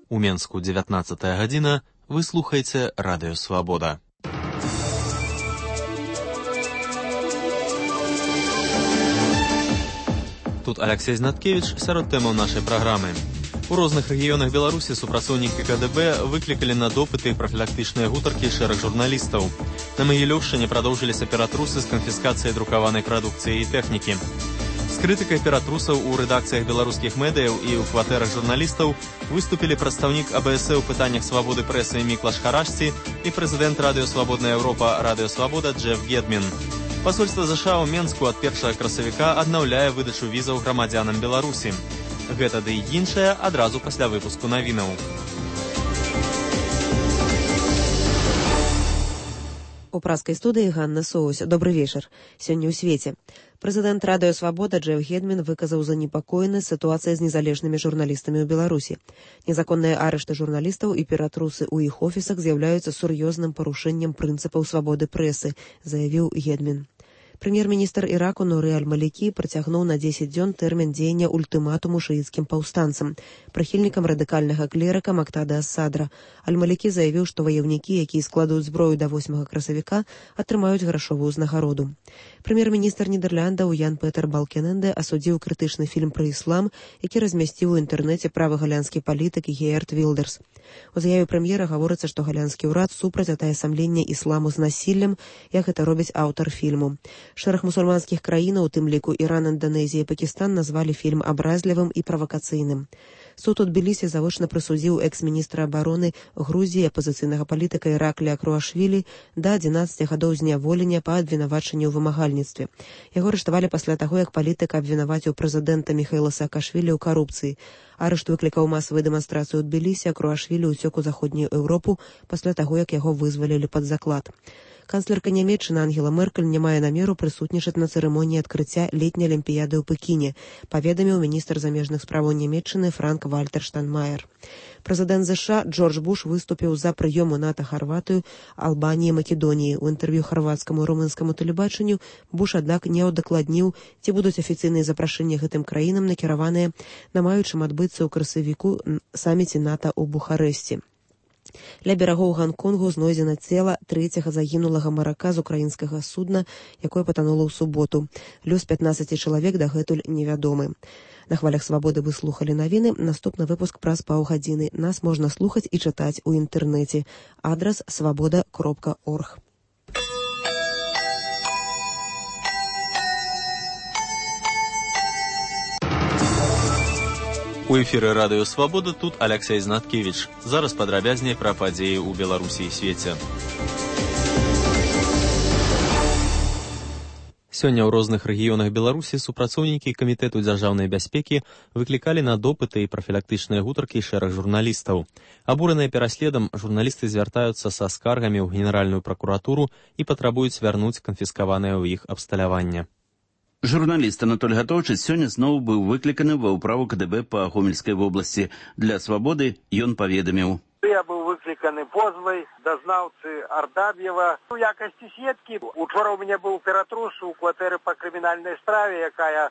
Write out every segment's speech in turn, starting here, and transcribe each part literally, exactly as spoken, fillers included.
У Менску дзевятнаццатая гадзіна, вы слухаеце Радыё Свабода. Тут Алексей Знаткевич сярод тэмаў нашай праграмы. У розных рэгіёнах Беларусі супрацоўнікі ка дэ бэ выклікалі на допыты прафілактычныя гутаркі шэраг журналістаў. На Магілёўшчыне прадоўжыліся ператрусы з канфіскацыяй друкаванай прадукцыі і тэхнікі. З крытыкай ператрусаў у рэдакцыях беларускіх медыяў і ў кватэрах журналістаў выступілі прадстаўнік а бэ эс э ў пытаннях свабоды прэсы Міклаш Харашці і прэзідэнт Радыё Свабодная Еўропа Радыё Свабода Джеф Гедмін. Пасольства ЗША ў Менску ад першага красавіка аднаўляе выдачу візаў грамадзянам Беларусі. Гэта ды і іншае адразу пасля выпуску навінаў. У праскай студыі Ганна Соусь. Добры вечар. Сёння ў свеце. Прэзідэнт Радыё Свабода Джеф Гедмін выказаў занепакоены сітуацыяй з незалежнымі журналістамі ў Беларусі. Незаконныя арышты журналістаў і ператрусы ў іх офісах з'яўляюцца сур'ёзным парушэннем прынцыпаў свабоды прэсы, заявіў Гедмін. Прэм'ер-міністр Іраку Нуры Аль-Малікі працягнуў на дзесяць дзён тэрмін дзеяння ультыматуму шыіцкім паўстанцам, прыхільнікам радыкальнага клерыка Мактада ас-Садра. Аль-Малікі заявіў, што ваяўнікі, якія складуць зброю да восьмага красавіка, атрымаюць грашовую ўзнагароду. Прэм'ер-міністр Нідэрляндаў Ян Петер Балкененде асудзіў крытычны фільм пра іслам, які размясціў у інтэрнэце правы галянскі палітык Геерт Вілдерс. У заяве прэм'ера гаворыцца, што галянскі ўрад супраць атаясамлення ісламу з насіллем, як гэта робіць аўтар фільму. Шэраг мусульманскіх краінаў, у тым ліку Іран, Інданезія і Пакістан, назвалі фільм абразлівым і правакацыйным. Суд у Тбілісі завочна прысудзіў экс-міністра абароны Грузіі, апазіцыйнага палітыка Іракля Круашвілі да адзінаццаці гадоў зняволення па абвінавачанню ў вымагальніцтве. Яго арыштавалі пасля таго, як палітык абвінаваціў прэзідэнта Міхаіла Саакашвілі ў карупцыі. Арышт выклікаў масавую дэманстрацыю ў Тбілісі, а Круашвілі ўцёк у заходнюю Еўропу пасля таго, як яго вызвалілі пад заклад. Канцлерка Нямецчыны Ангела Меркель не мае намеру прысутнічаць на цырымоніі адкрыцця летняй алімпіяды ў Пекіне, паведаміў міністр замежных справаў Нямецчыны Франк Вальтер Штайнмаер. Прэзідэнт ЗША Джордж Буш выступіў за прыём у НАТО Харватыю, Албаніі, Македоніі. У інтэрв'ю харвацкаму і румынскаму тэлебачанню Буш, аднак, не ўдакладніў, ці будуць афіцыйныя запрашэнні гэтым краінам накіраваныя на маючым адбыцца ў красавіку саміце НАТО ў Бухарэсці. Ля берагоў Ганконгу знойдзена цела трэцяга загінулага марака з украінскага судна, якое патанула ў суботу. Лёс пятнаццаці чалавек дагэтуль невядомы. На хвалях свабоды вы слухалі навіны. Наступны выпуск праз паўгадзіны. Нас можна слухаць і чытаць у інтэрнэце. Адрас свабода кропка орг. У эфіры Радыё Свабода тут Алексей Знаткевич. Зараз падрабязней пра падзеі ў Беларусі і свеце. Сёння ў розных рэгіёнах Беларусі супрацоўнікі камітэту дзяржаўнай бяспекі выклікалі на допыты і прафілактычныя гутаркі шэраг журналістаў. Абураныя пераследам, журналісты звяртаюцца са скаргамі ў Генеральную пракуратуру і патрабуюць вярнуць канфіскаванае ў іх абсталяванне. Журналіст Анатоль Гатоўчыц сёння зноў быў выкліканы ва ўправу ка дэ бэ па Гомельскай вобласці. Для свабоды ён паведаміў. Я быў выкліканы позвай дазнаўцы Ардаб'ева. У якасці сведкі учора ў мяне быў ператрус у кватэры па крымінальнай справе, якая э,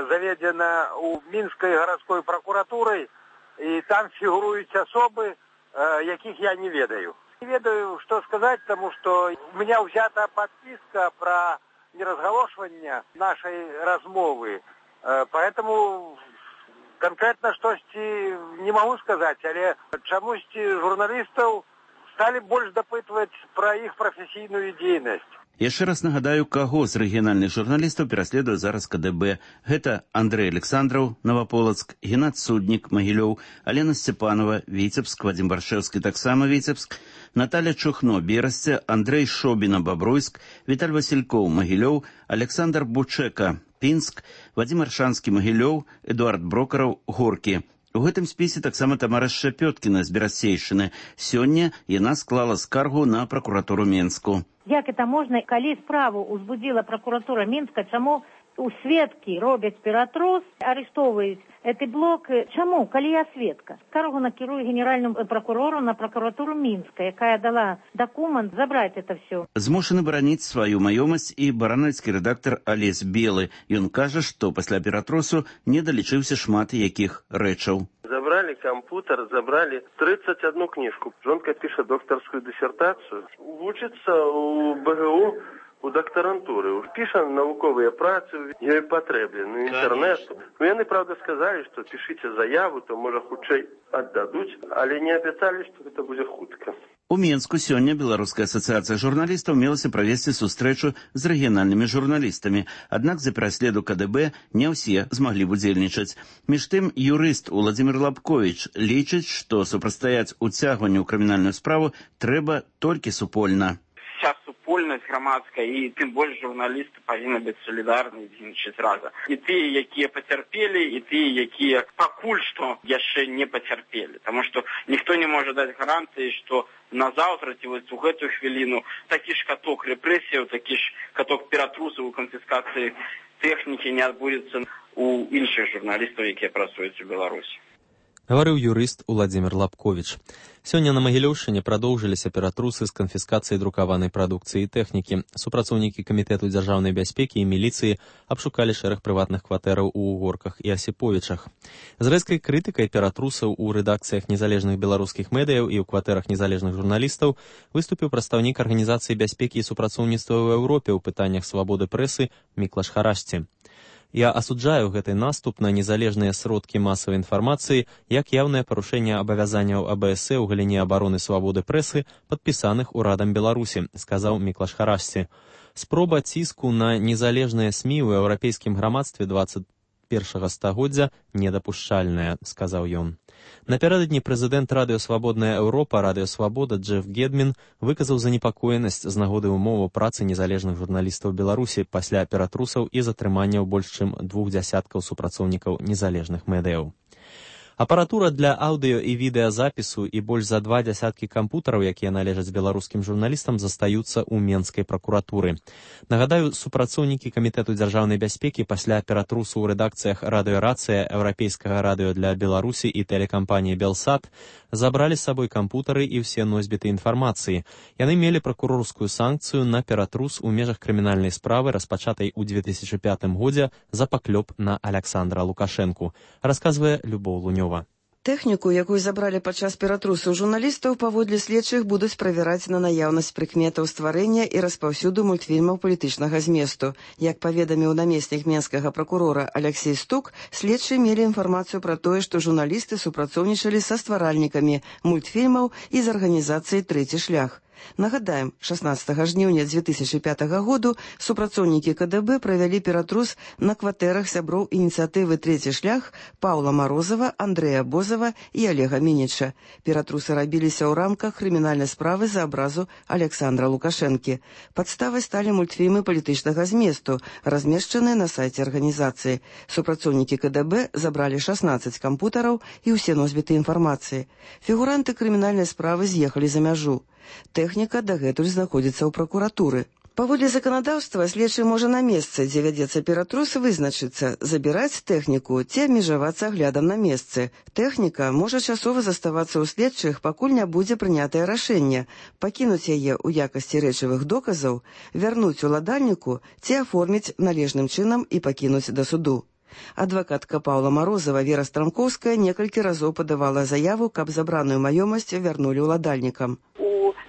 заведзена ў Мінскай гарадской пракуратурай, і там фігуруюць асобы, э, якіх я не ведаю. Не ведаю, што сказаць, таму што у меня ўзята падпіска пра неразгалошвання нашай размовы. Поэтому конкретна штосьці не магу сказаць, але чамусьці журналістаў сталі больш дапытваць пра іх прафесійную дзейнасць. Яшчэ раз нагадаю, каго з рэгіянальных журналістаў пераследуе зараз ка дэ бэ. Гэта Андрэй Александраў, Новаполацк, Геннад Суднік, Магілёў, Алена Сцепанова, Віцебск, Вадзім Баршэўскі, таксама Віцебск, Наталя Чухно, Берасце, Андрэй Шобіна, Бабруйск, Віталь Васількоў, Магілёў, Александр Бучэка, Пінск, Вадзім Аршанскі, Магілёў, Эдуард Брокараў, Горкі. У гэтым спісе таксама Тамара Шчапёткіна з Берасцейшчыны. Сёння яна склала скаргу на пракуратуру Менску. Як это можна, калі справу ўзбудзіла пракуратура Мінска, чаму у сведкі робяць ператрус, арыштоўваюць гэты блок? Чаму, калі я сведка? Скаргу накірую генеральному прокурору на прокуратуру Мінска, якая дала документ забраць это все. Змушаны бараніць сваю маёмасць і баранавіцкі рэдактар Алесь Белы. Ён кажа, што пасля ператрусу не далічыўся шмат якіх рэчаў. Забрали мой компьютер, забрали тридцать одну книжку. Жонка пишет докторскую диссертацию. Учится у БГУ, у докторантуры. Пише науковые працы, їй потрібен інтернет. Ну, вони, правда, сказали, що пишите заяву, то, може, хутчэй отдадуть, але не обіцяли, що це буде хутка. У Мінску сёння Беларуская асацыяцыя журналістаў мелася правесці сустрэчу з рэгіянальнымі журналістамі, аднак за пераследу КДБ не ўсе змаглі удзельнічаць. Між тым, юрыст Уладзімір Лабковіч лічыць, што супрацьстаяць уцягванню ў крымінальную справу трэба толькі супольна. Вся супольнасць грамадская і тым больш журналісты павінны быць салідарныя дзейнічаць разам. І тыя, якія пацярпелі, і тыя, якія пакуль што яшчэ не пацярпелі. Таму што ніхто не можа даць гарантыі, што назаўтра ці вось у гэтую хвіліну такі ж каток рэпрэсіяў, такі ж каток ператрусаў у канфіскацыі тэхнікі не адбудзецца у іншых журналістаў, якія працуюць у Беларусі. Гаварыў юрыст Уладзімір Лабковіч. Сёння на Магілёўшчыне прадоўжыліся ператрусы з канфіскацыяй друкаванай прадукцыі і тэхнікі. Супрацоўнікі камітэту дзяржаўнай бяспекі і міліцыі абшукалі шэраг прыватных кватэраў у Угорках і Асіповічах. З рэзкай крытыкай ператрусаў у рэдакцыях незалежных беларускіх медыяў і ў кватэрах незалежных журналістаў выступіў прадстаўнік Арганізацыі бяспекі і супрацоўніцтва ў Еўропе ў пытаннях свабоды прэсы Міклаш Харашці. Я асуджаю гэты наступ на незалежныя сродкі масавай інфармацыі як яўнае парушэнне абавязанняў АБС ў галіне абароны свабоды прэсы, падпісаных урадам Беларусі, сказаў Міклаш Харашці. Спроба ціску на незалежныя СМІ ў еўрапейскім грамадстве дваццаць першага стагоддзя недапушчальная, сказаў ён. Напярэдадні прэзідэнт Радыё Свабодная Еўропа, Радыё Свабода Джеф Гедмін выказаў занепакоенасць з нагоды ўмоваў працы незалежных журналістаў Беларусі пасля ператрусаў і затрыманняў больш чым двух дзясяткаў супрацоўнікаў незалежных медыяў. Апаратура для аўдыё і відэазапісу і больш за два дзясяткі кампутараў, якія належаць беларускім журналістам, застаюцца ў Менскай пракуратуры. Нагадаю, супрацоўнікі Камітэту дзяржаўнай бяспекі пасля ператрусу ў рэдакцыях радыёрацыя, еўрапейскага радыё для Беларусі і тэлекампаніі Белсат забралі з сабой кампутары і ўсе носьбіты інфармацыі. Яны мелі пракурорскую санкцыю на ператрус у межах крымінальнай справы, распачатай у две тысячы пятым годзе за паклёп на Аляксандра Лукашэнку, расказвае Любоў Лунёва. Тэхніку, якую забралі падчас ператрусу журналістаў, паводле следчых будуць правяраць на наяўнасць прыкметаў стварэння і распаўсюду мультфільмаў палітычнага зместу. Як паведаміў намеснік менскага пракурора Алексей Стук, следчыя мелі інфармацыю пра тое, што журналісты супрацоўнічалі са стваральнікамі мультфільмаў і з арганізацыяй «Трэці шлях». Нагадаем, шаснаццатага жніўня дзве тысячы пятага году супрацоўнікі КДБ правялі ператрус на кватэрах сяброў ініцыятывы «Трэці шлях» Паўла Марозава, Андрэя Бозава і Олега Мініча. Ператрусы рабіліся ў рамках крымінальнай справы за абразу Аляксандра Лукашэнкі. Падставай сталі мультфільмы палітычнага зместу, размешчаныя на сайце арганізацыі. Супрацоўнікі КДБ забралі шаснаццаць кампутараў і ўсе носьбіты інфармацыі. Фігуранты крымінальнай справы з'ехалі за мяжу. Тэхніка дагэтуль знаходзіцца ў пракуратуры. Паводле заканадаўства следчы можа на месцы, дзе вядзецца ператрус, вызначыцца, забіраць тэхніку ці абмежавацца аглядам на месцы. Тэхніка можа часова заставацца ў следчых, пакуль не будзе прынятае рашэнне, пакінуць яе ў якасці рэчавых доказаў, вярнуць уладальніку ці аформіць належным чынам і пакінуць да суду. Адвакатка Паўла Марозава Вера Страмкоўская некалькі разоў падавала заяву, каб забраную маёмасць вярнулі ўладальнікам.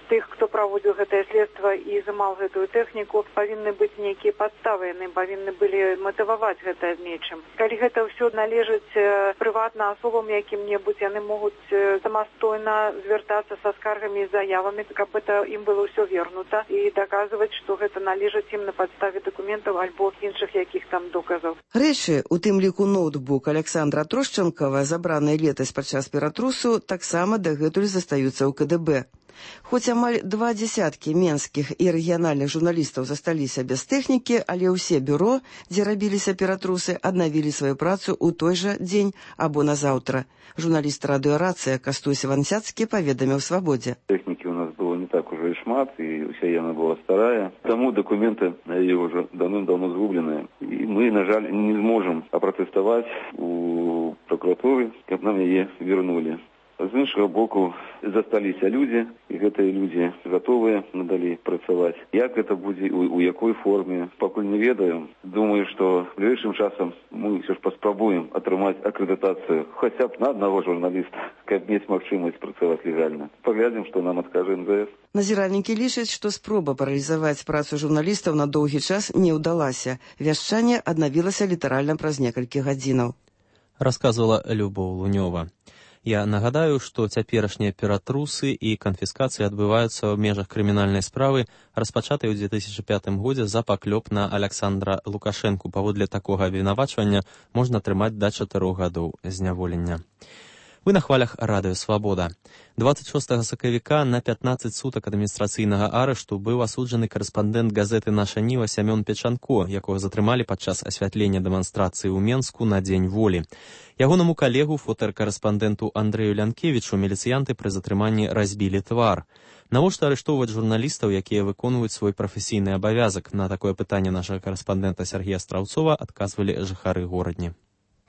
Тых, хто праводзіў гэтае следства і замаў гэтую тэхніку, павінны быць нейкія падставы, яны павінны былі матываваць гэта нечым. Калі гэта ўсё належыць прыватна асобам якім-небудзь, яны могуць самастойна звяртацца са скаргамі і заявамі, каб это ім было ўсё вернута і даказваць, што гэта належыць ім на падставе дакументаў альбо іншых якіх там доказаў. Рэчы, у тым ліку ноутбук Аляксандра Трошчанкава, забраныя летась падчас ператрусу, таксама дагэтуль застаюцца ў КДБ. Хоць амаль два дзясяткі менскіх і рэгіянальных журналістаў засталіся без тэхнікі, але ўсе бюро, дзе рабіліся ператрусы, аднавілі сваю працу ў той жа дзень або назаўтра. Журналіст радыёрацыя Кастусь Вансяцкі паведаміў «Свабодзе». Тэхнікі у нас было не так уже і шмат, і ўся яна была старая. Таму дакументы на яе ўжо давным-давно згубленыя. І мы, на жаль, не зможам апратэставаць у пракуратуры, каб нам яе вернулі. З іншого боку, засталіся людзі, і гэтыя людзі гатовыя надалей працаваць. Як гэта будзе, у, у якой форме, пакуль не ведаем. Думаю, што бліжэйшым часам мы ўсё ж паспрабуем атрымаць акрэдытацыю хаця б на аднаго журналіста, каб мець магчымасць працаваць легальна. Паглядзім, што нам адкажа эн зэ эс. Назіральнікі лічаць, што спроба паралізаваць працу журналістаў на доўгі час не ўдалася. Вяшчанне аднавілася літаральна праз некалькі гадзінаў. Расказвала Любоў Лунёва. Я нагадаю, што цяперашнія ператрусы і канфіскацыі адбываюцца ў межах крымінальнай справы, распачатай у две тысячы пятым годзе за паклёп на Аляксандра Лукашэнку. Паводле такога абвінавачвання можна атрымаць да чатырох гадоў зняволення. Вы на хвалях радыё «Свабода». дваццаць шостага сакавіка на пятнаццаць сутак адміністрацыйнага арышту быў асуджаны карэспандэнт газеты «Наша Ніва» Сямён Печанко, якога затрымалі падчас асвятлення дэманстрацыі ў Менску на Дзень волі. Ягонаму калегу, фотакарэспандэнту Андрэю Лянкевічу, міліцыянты пры затрыманні разбілі твар. Навошта арыштоўваць журналістаў, якія выконваюць свой прафесійны абавязак? На такое пытанне нашага карэспандэнта Сергея Страўцова адказвалі жыхары горадні.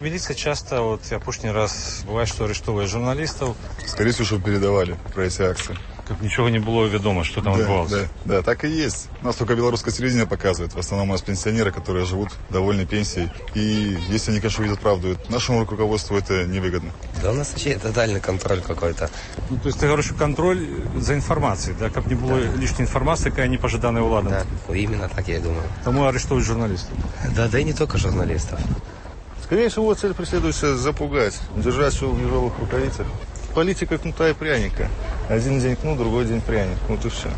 Милиция часто, вот я пушний раз, бывает, что арестовывает журналистов. Скорее всего, чтобы передавали про эти акции. Как ничего не было ведомо, что там да, отбывалось. Да, да, так и есть. У нас только белорусское телевидение показывает. В основном у нас пенсионеры, которые живут довольной пенсией. И если они, конечно, видят правду, нашему руководству это невыгодно. Да у нас вообще тотальный контроль какой-то. Ну, то есть ты говоришь, контроль за информацией, да? Как не было да. лишней информации, какая непожиданная влада. Да, именно так я и думаю. Тому арестовывают журналистов. Да, да и не только журналистов. Скорее всего, цель преследуется запугать, держать все в ежовых рукавицах. Политика кнута и пряника. Один день кнут, другой день пряник. Вот и все.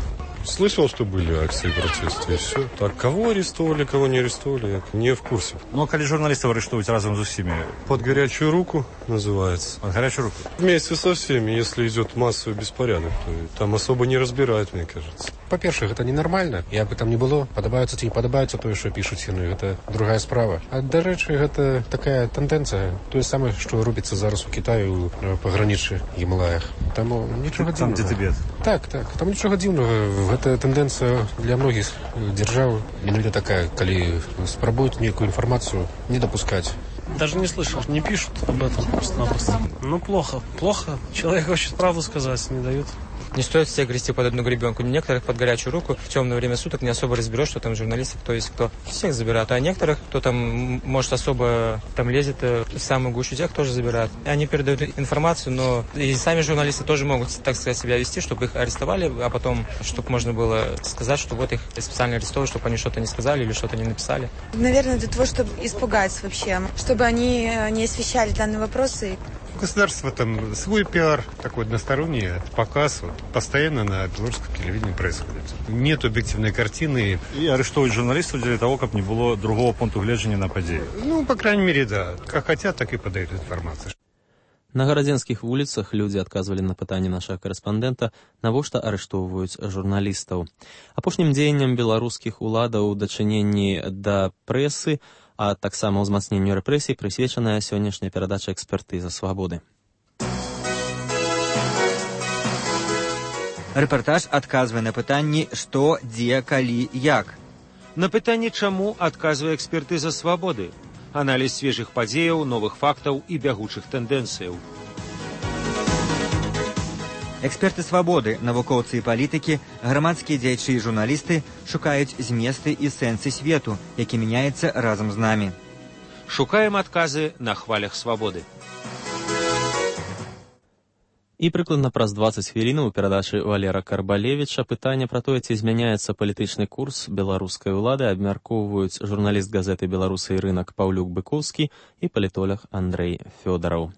Слышал, что были акции протеста, и все. Так, кого арестовали, кого не арестовали, я не в курсе. Ну, а коли журналистов арестовывать разом с всеми? Под горячую руку называется. Под горячую руку? Вместе со всеми, если идет массовый беспорядок, то там особо не разбирают, мне кажется. По-перше, это ненормально. Як бы там не было, подобається чи не подобається то, що пишуть сіни, це друга справа. А, до речі, це така тенденція, то саме, що робиться зараз у Китаї, у пограничі Гімалаях. Там нічого дивного. Там, де Тибет? Так, так. Там нічого дивного. Це тенденція для многих держав. Іноді така, коли спробують ніяку інформацію не допускати. Даже не слышал, не пишут об этом просто-напросто. Ну, плохо, плохо. Человек хочет правду сказать, не дают. Не стоит всех грести под одну гребенку. Некоторых под горячую руку в темное время суток не особо разберешь, что там журналисты, кто есть кто. Всех забирают. А некоторых, кто там, может, особо там лезет в самую гущу, тех тоже забирают. Они передают информацию, но и сами журналисты тоже могут, так сказать, себя вести, чтобы их арестовали, а потом, чтобы можно было сказать, что вот их специально арестовали, чтобы они что-то не сказали или что-то не написали. Наверное, для того, чтобы испугать вообще, чтобы они не освещали данные вопросы. У государства там свой пиар, такой односторонний показ, вот, постоянно на белорусском телевидении происходит. Нет объективной картины. И арестовывают журналистов для того, как не было другого пункта гледжання на події. Ну, по крайней мере, да. Как хотят, так и подают информацию. На гарадзенскіх вуліцах людзі адказвалі на пытанне нашага карэспандэнта, навошта арыштоўваюць журналістаў. Апошнім дзеяннем беларускіх уладаў у дачыненні да прэсы, а таксама ўзмацненню рэпрэсій прысвечаная сённяшняя перадача экспертызы «Свабоды». Рэпартаж адказвае на пытанні «Што, дзе, калі, як?». На пытанне «Чаму?» адказвае экспертыза «Свабоды». Аналіз свежых падзеяў, новых фактаў і бягучых тэндэнцыяў. Эксперты «Свабоды», навукоўцы і палітыкі, грамадскія дзеячы і журналісты шукаюць зместы і сэнсы свету, які мяняецца разам з намі. Шукаем адказы на хвалях «Свабоды». І прыкладна праз дваццаць хвілінаў у перадачы Валера Карбалевіча пытанне пра тое, ці змяняецца палітычны курс беларускай улады, абмяркоўваюць журналіст газеты «Беларусы і рынак» Паўлюк Быкоўскі і палітолог Андрэй Фёдараў.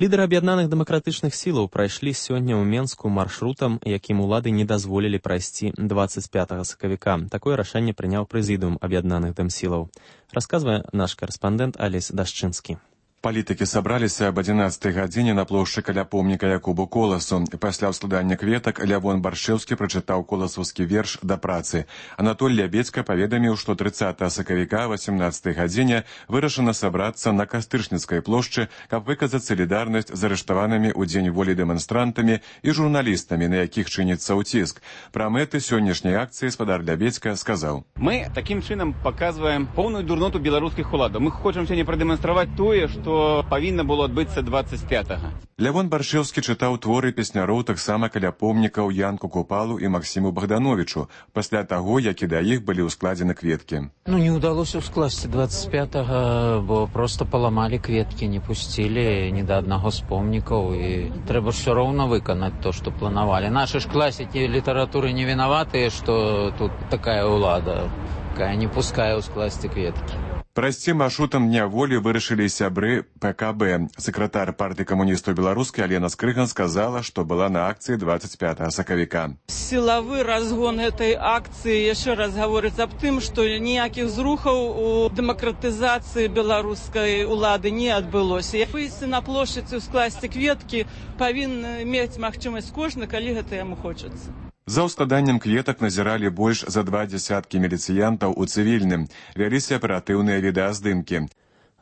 Лідары аб'яднаных дэмакратычных сілаў прайшлі сёння ў Менску маршрутам, якім улады не дазволілі прайсці дваццаць пятага сакавіка. Такое рашэнне прыняў прэзідыум аб'яднаных дэмсілаў. Расказвае наш карэспандэнт Алесь Дашчынскі. Палітыкі сабраліся аб адзінаццатай гадзіне на плошчы каля помніка Якубу Коласу. Пасля ўскладання кветак Лявон Баршэўскі прачытаў коласаўскі верш «Да працы». Анатоль Лябедзька паведаміў, што трыццатага сакавіка васемнаццатай гадзіне вырашана сабрацца на Кастыршніцкай плошчы, каб выказаць салідарнасць з арыштаванымі ў дзень волі дэманстрантамі і журналістамі, на якіх чыніцца ўціск. Пра мэты сённяшняй акцыі спадар Лябедзька сказаў: «Мы такім чынам паказваем поўную дурноту беларускіх уладаў. Мы хочам сёння прадэманстраваць тое, што што павінна было адбыцца двадцать пятага. Лявон Баршэўскі чытаў творы песняроў таксама каля помнікаў Янку Купалу і Максіму Богдановичу пасля таго, як і да іх былі ўскладзены кветкі. Ну, не ўдалося ўскласці двадцать пятага, бо просто паламалі кветкі, не пусцілі ні да аднаго з помнікаў, і трэба ўсё роўна выканаць то, што планавалі. Нашы ж класікі літаратуры не вінаватыя, што тут такая ўлада, якая не пускае ўскласці кветкі. Прайсці маршрутам дня волі вырашылі сябры пэ ка бэ. Сакратар партыі камуністаў беларускай Алена Скрыган сказала, што была на акцыі двадцать пятага сакавіка. Сілавы разгон этой акцыі яшчэ раз гаворыць аб тым, што ніякіх зрухаў у дэмакратызацыі беларускай улады не адбылося. Выйсці на плошчыцы, скласці кветкі павінны мець магчымасць кожны, калі гэта яму хочацца. За ўскладаннем кветак назіралі больш за два дзясяткі міліцыянтаў у цывільным. Вяліся аператыўныя відэаздымкі.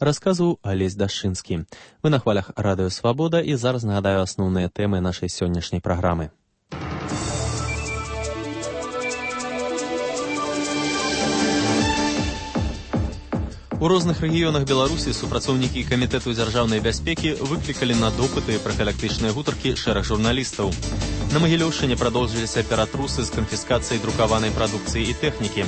Расказваў Алесь Дашчынскі. Вы на хвалях радыё Свабода, і зараз нагадаю асноўныя тэмы нашай сённяшняй праграмы. У розных рэгіёнах Беларусі супрацоўнікі камітэту дзяржаўнай бяспекі выклікалі на допыты і прафілактычныя гутаркі шэраг журналістаў. На Магілёўшчыне прадолжыліся ператрусы з канфіскацыяй друкаванай прадукцыі і тэхнікі.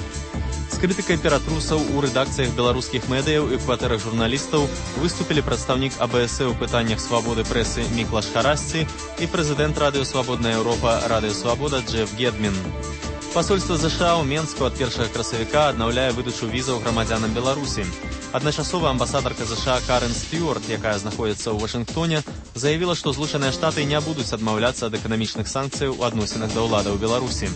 З крытыкай ператрусаў у рэдакцыях беларускіх медыяў і кватэрах журналістаў выступілі прадстаўнік а бэ эс э ў пытаннях свабоды прэсы Міклаш Харасці і прэзідэнт радыё Свабодная Еўропа радыё Свабода Джеф Гедмін. Пасольства ЗША ў Менску ад першага красавіка аднаўляе выдачу візаў грамадзянам Беларусі. Адначасова амбасадарка ЗША Карен Стюарт, якая знаходзіцца ў Вашынгтоне, заявіла, што Злучаныя Штаты не будуць адмаўляцца ад эканамічных санкцыяў у адносінах да ўладаў Беларусі.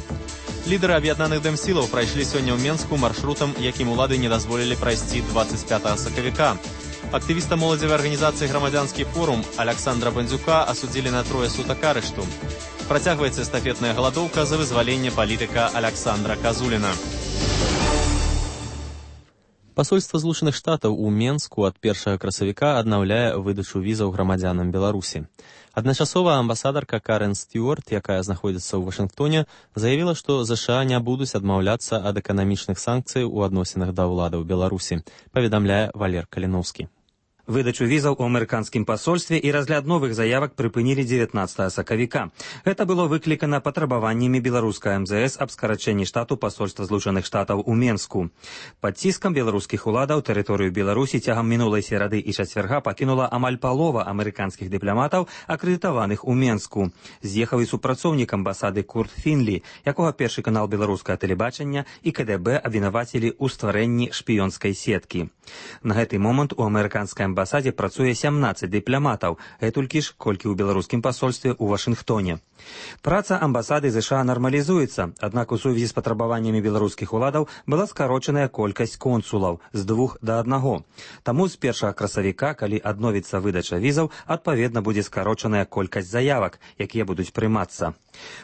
Лідары аб'яднаных дэмсілаў прайшлі сёння ў Менску маршрутам, якім улады не дазволілі прайсці двадцать пятага сакавіка. Актывіста моладзевай арганізацыі «Грамадзянскі форум» Александра Бандзюка асудзілі на трое сутак арышту. Працягваецца эстафетная галадоўка за вызваленне палітыка Александра Казуліна. Пасольства Злучаных Штатаў у Менску ад першага красавіка аднаўляе выдачу візаў грамадзянам Беларусі. Адначасова амбасадарка Карен Стюарт, якая знаходзіцца ў Вашынгтоне, заявіла, што ЗША не будуць адмаўляцца ад эканамічных санкцый у адносінах да ўладаў Беларусі, паведамляе Валер Каліноўскі. Выдачу візаў у амерыканскім пасольстве і разгляд новых заявак прыпынілі дзевятнаццатага сакавіка. Гэта было выклікана патрабаваннямі беларускай эм зэ эс аб скарачэнні штату пасольства Злучаных Штатаў у Менску. Пад ціскам беларускіх уладаў тэрыторыю Беларусі цягам мінулай серады і чацвярга пакінула амаль палова амерыканскіх дыпламатаў, акрэдытаваных у Менску. З'ехаў і супрацоўнік амбасады Курт Фінлі, якога першы канал беларускага тэлебачання і ка дэ бэ абвінавацілі ў стварэнні шпіёнскай сеткі. На гэты момант у амерыканскай амбасадзе працуе сямнаццаць дыпламатаў, гэтулькі ж, колькі ў беларускім пасольстве ў Вашынгтоне. Праца амбасады ЗША нармалізуецца, аднак у сувязі з патрабаваннямі беларускіх уладаў была скарочаная колькасць консулаў з двух да аднаго. Таму з першага красавіка, калі адновіцца выдача візаў, адпаведна будзе скарочаная колькасць заявак, якія будуць прымацца.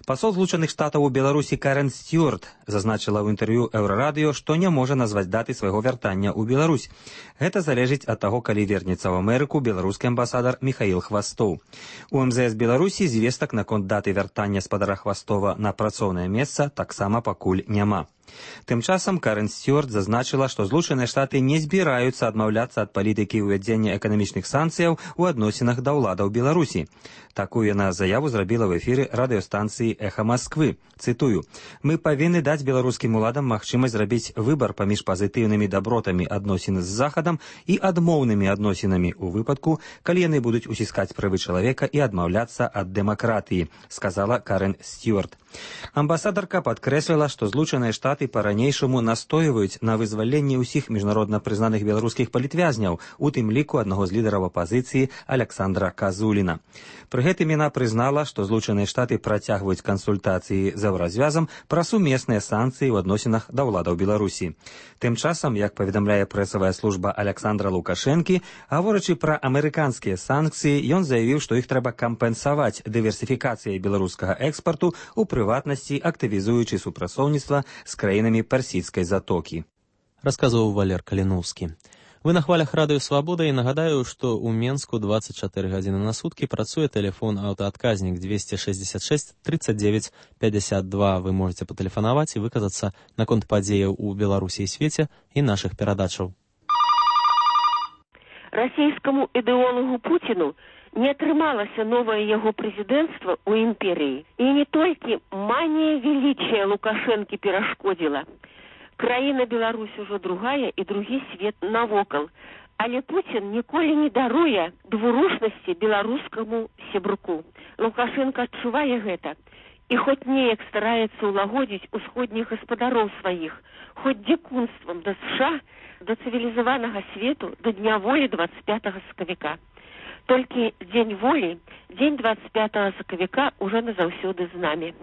Пасол Злучаных Штатаў у Беларусі Карен Стюарт зазначыла ў інтэрв'ю Еўрарадыё, што не можа назваць даты свайго вяртання ў Беларусь. Гэта залежыць ад таго, калі вернецца ў Амерыку беларускі амбасадар Міхаіл Хвастоў. У эм зэ эс Беларусі звестак наконт даты вяртання спадара Хвастова на працоўнае месца таксама пакуль няма. Тым часам Карен Стюарт зазначыла, што Злучаныя Штаты не збіраюцца адмаўляцца ад палітыкі ўвядзення эканамічных санкцыяў у адносінах да ўладаў Беларусі. Такую яна заяву зрабіла ў эфіры радыёстанцыі «Эха Масквы». Цытую: «Мы павінны даць беларускім уладам магчымасць зрабіць выбар паміж пазітыўнымі дабротамі адносін з Захадам і адмоўнымі адносінамі ў выпадку, калі яны будуць уціскаць правы чалавека і адмаўляцца ад дэмакратыі», сказала Карен Стюарт. Амбасадарка падкрэсліла, што Злучаныя Штаты па-ранейшаму настойваюць на вызваленні ўсіх міжнародна прызнаных беларускіх палітвязняў, у тым ліку аднаго з лідараў апазіцыі Александра Казуліна. Пры гэтым яна прызнала, што Злучаныя Штаты працягваюць кансультацыі з Еўразвязам пра сумесныя санкцыі ў адносінах да ўладаў Беларусі. Тым часам, як паведамляе прэсавая служба Александра Лукашэнкі, гаворачы пра амерыканскія санкцыі, ён заявіў, што іх трэба кампенсаваць дыверсіфікацыяй беларускага экспарту, у прыватнасці актывізуючы супрацоўніцтва з краінамі персідскай затокі. Расказваў Валер Каліноўскі. Вы на хвалях радыё Свабода, і нагадаю, што ў Менску двадцать чатыры гадзіны на суткі працуе тэлефон аўтаадказнік двести шестьдесят шесть тридцать девять пятьдесят два. Вы можете патэлефанаваць і выказацца наконт падзеяў у Беларусі і свеце і нашых перадачаў. Расійскаму ідэолагу Пуціну не атрымалася новае яго прэзідэнцтва ў імперыі. І не толькі манія велічыя Лукашэнкі перашкодзіла. Краіна Беларусь ужо другая і другі свет навокал. Але Пуцін ніколі не даруе двурушнасці беларускаму сябруку. Лукашенко адчувае гэта. І хоць неяк стараецца ўлагодзіць усходніх гаспадароў сваіх, хоць дзікунствам да США, да цывілізаванага свету, да дня волі двадцать пятого сакавіка. Толькі дзень волі, дзень двадцать пятого сакавіка уже назаўсёды з намі.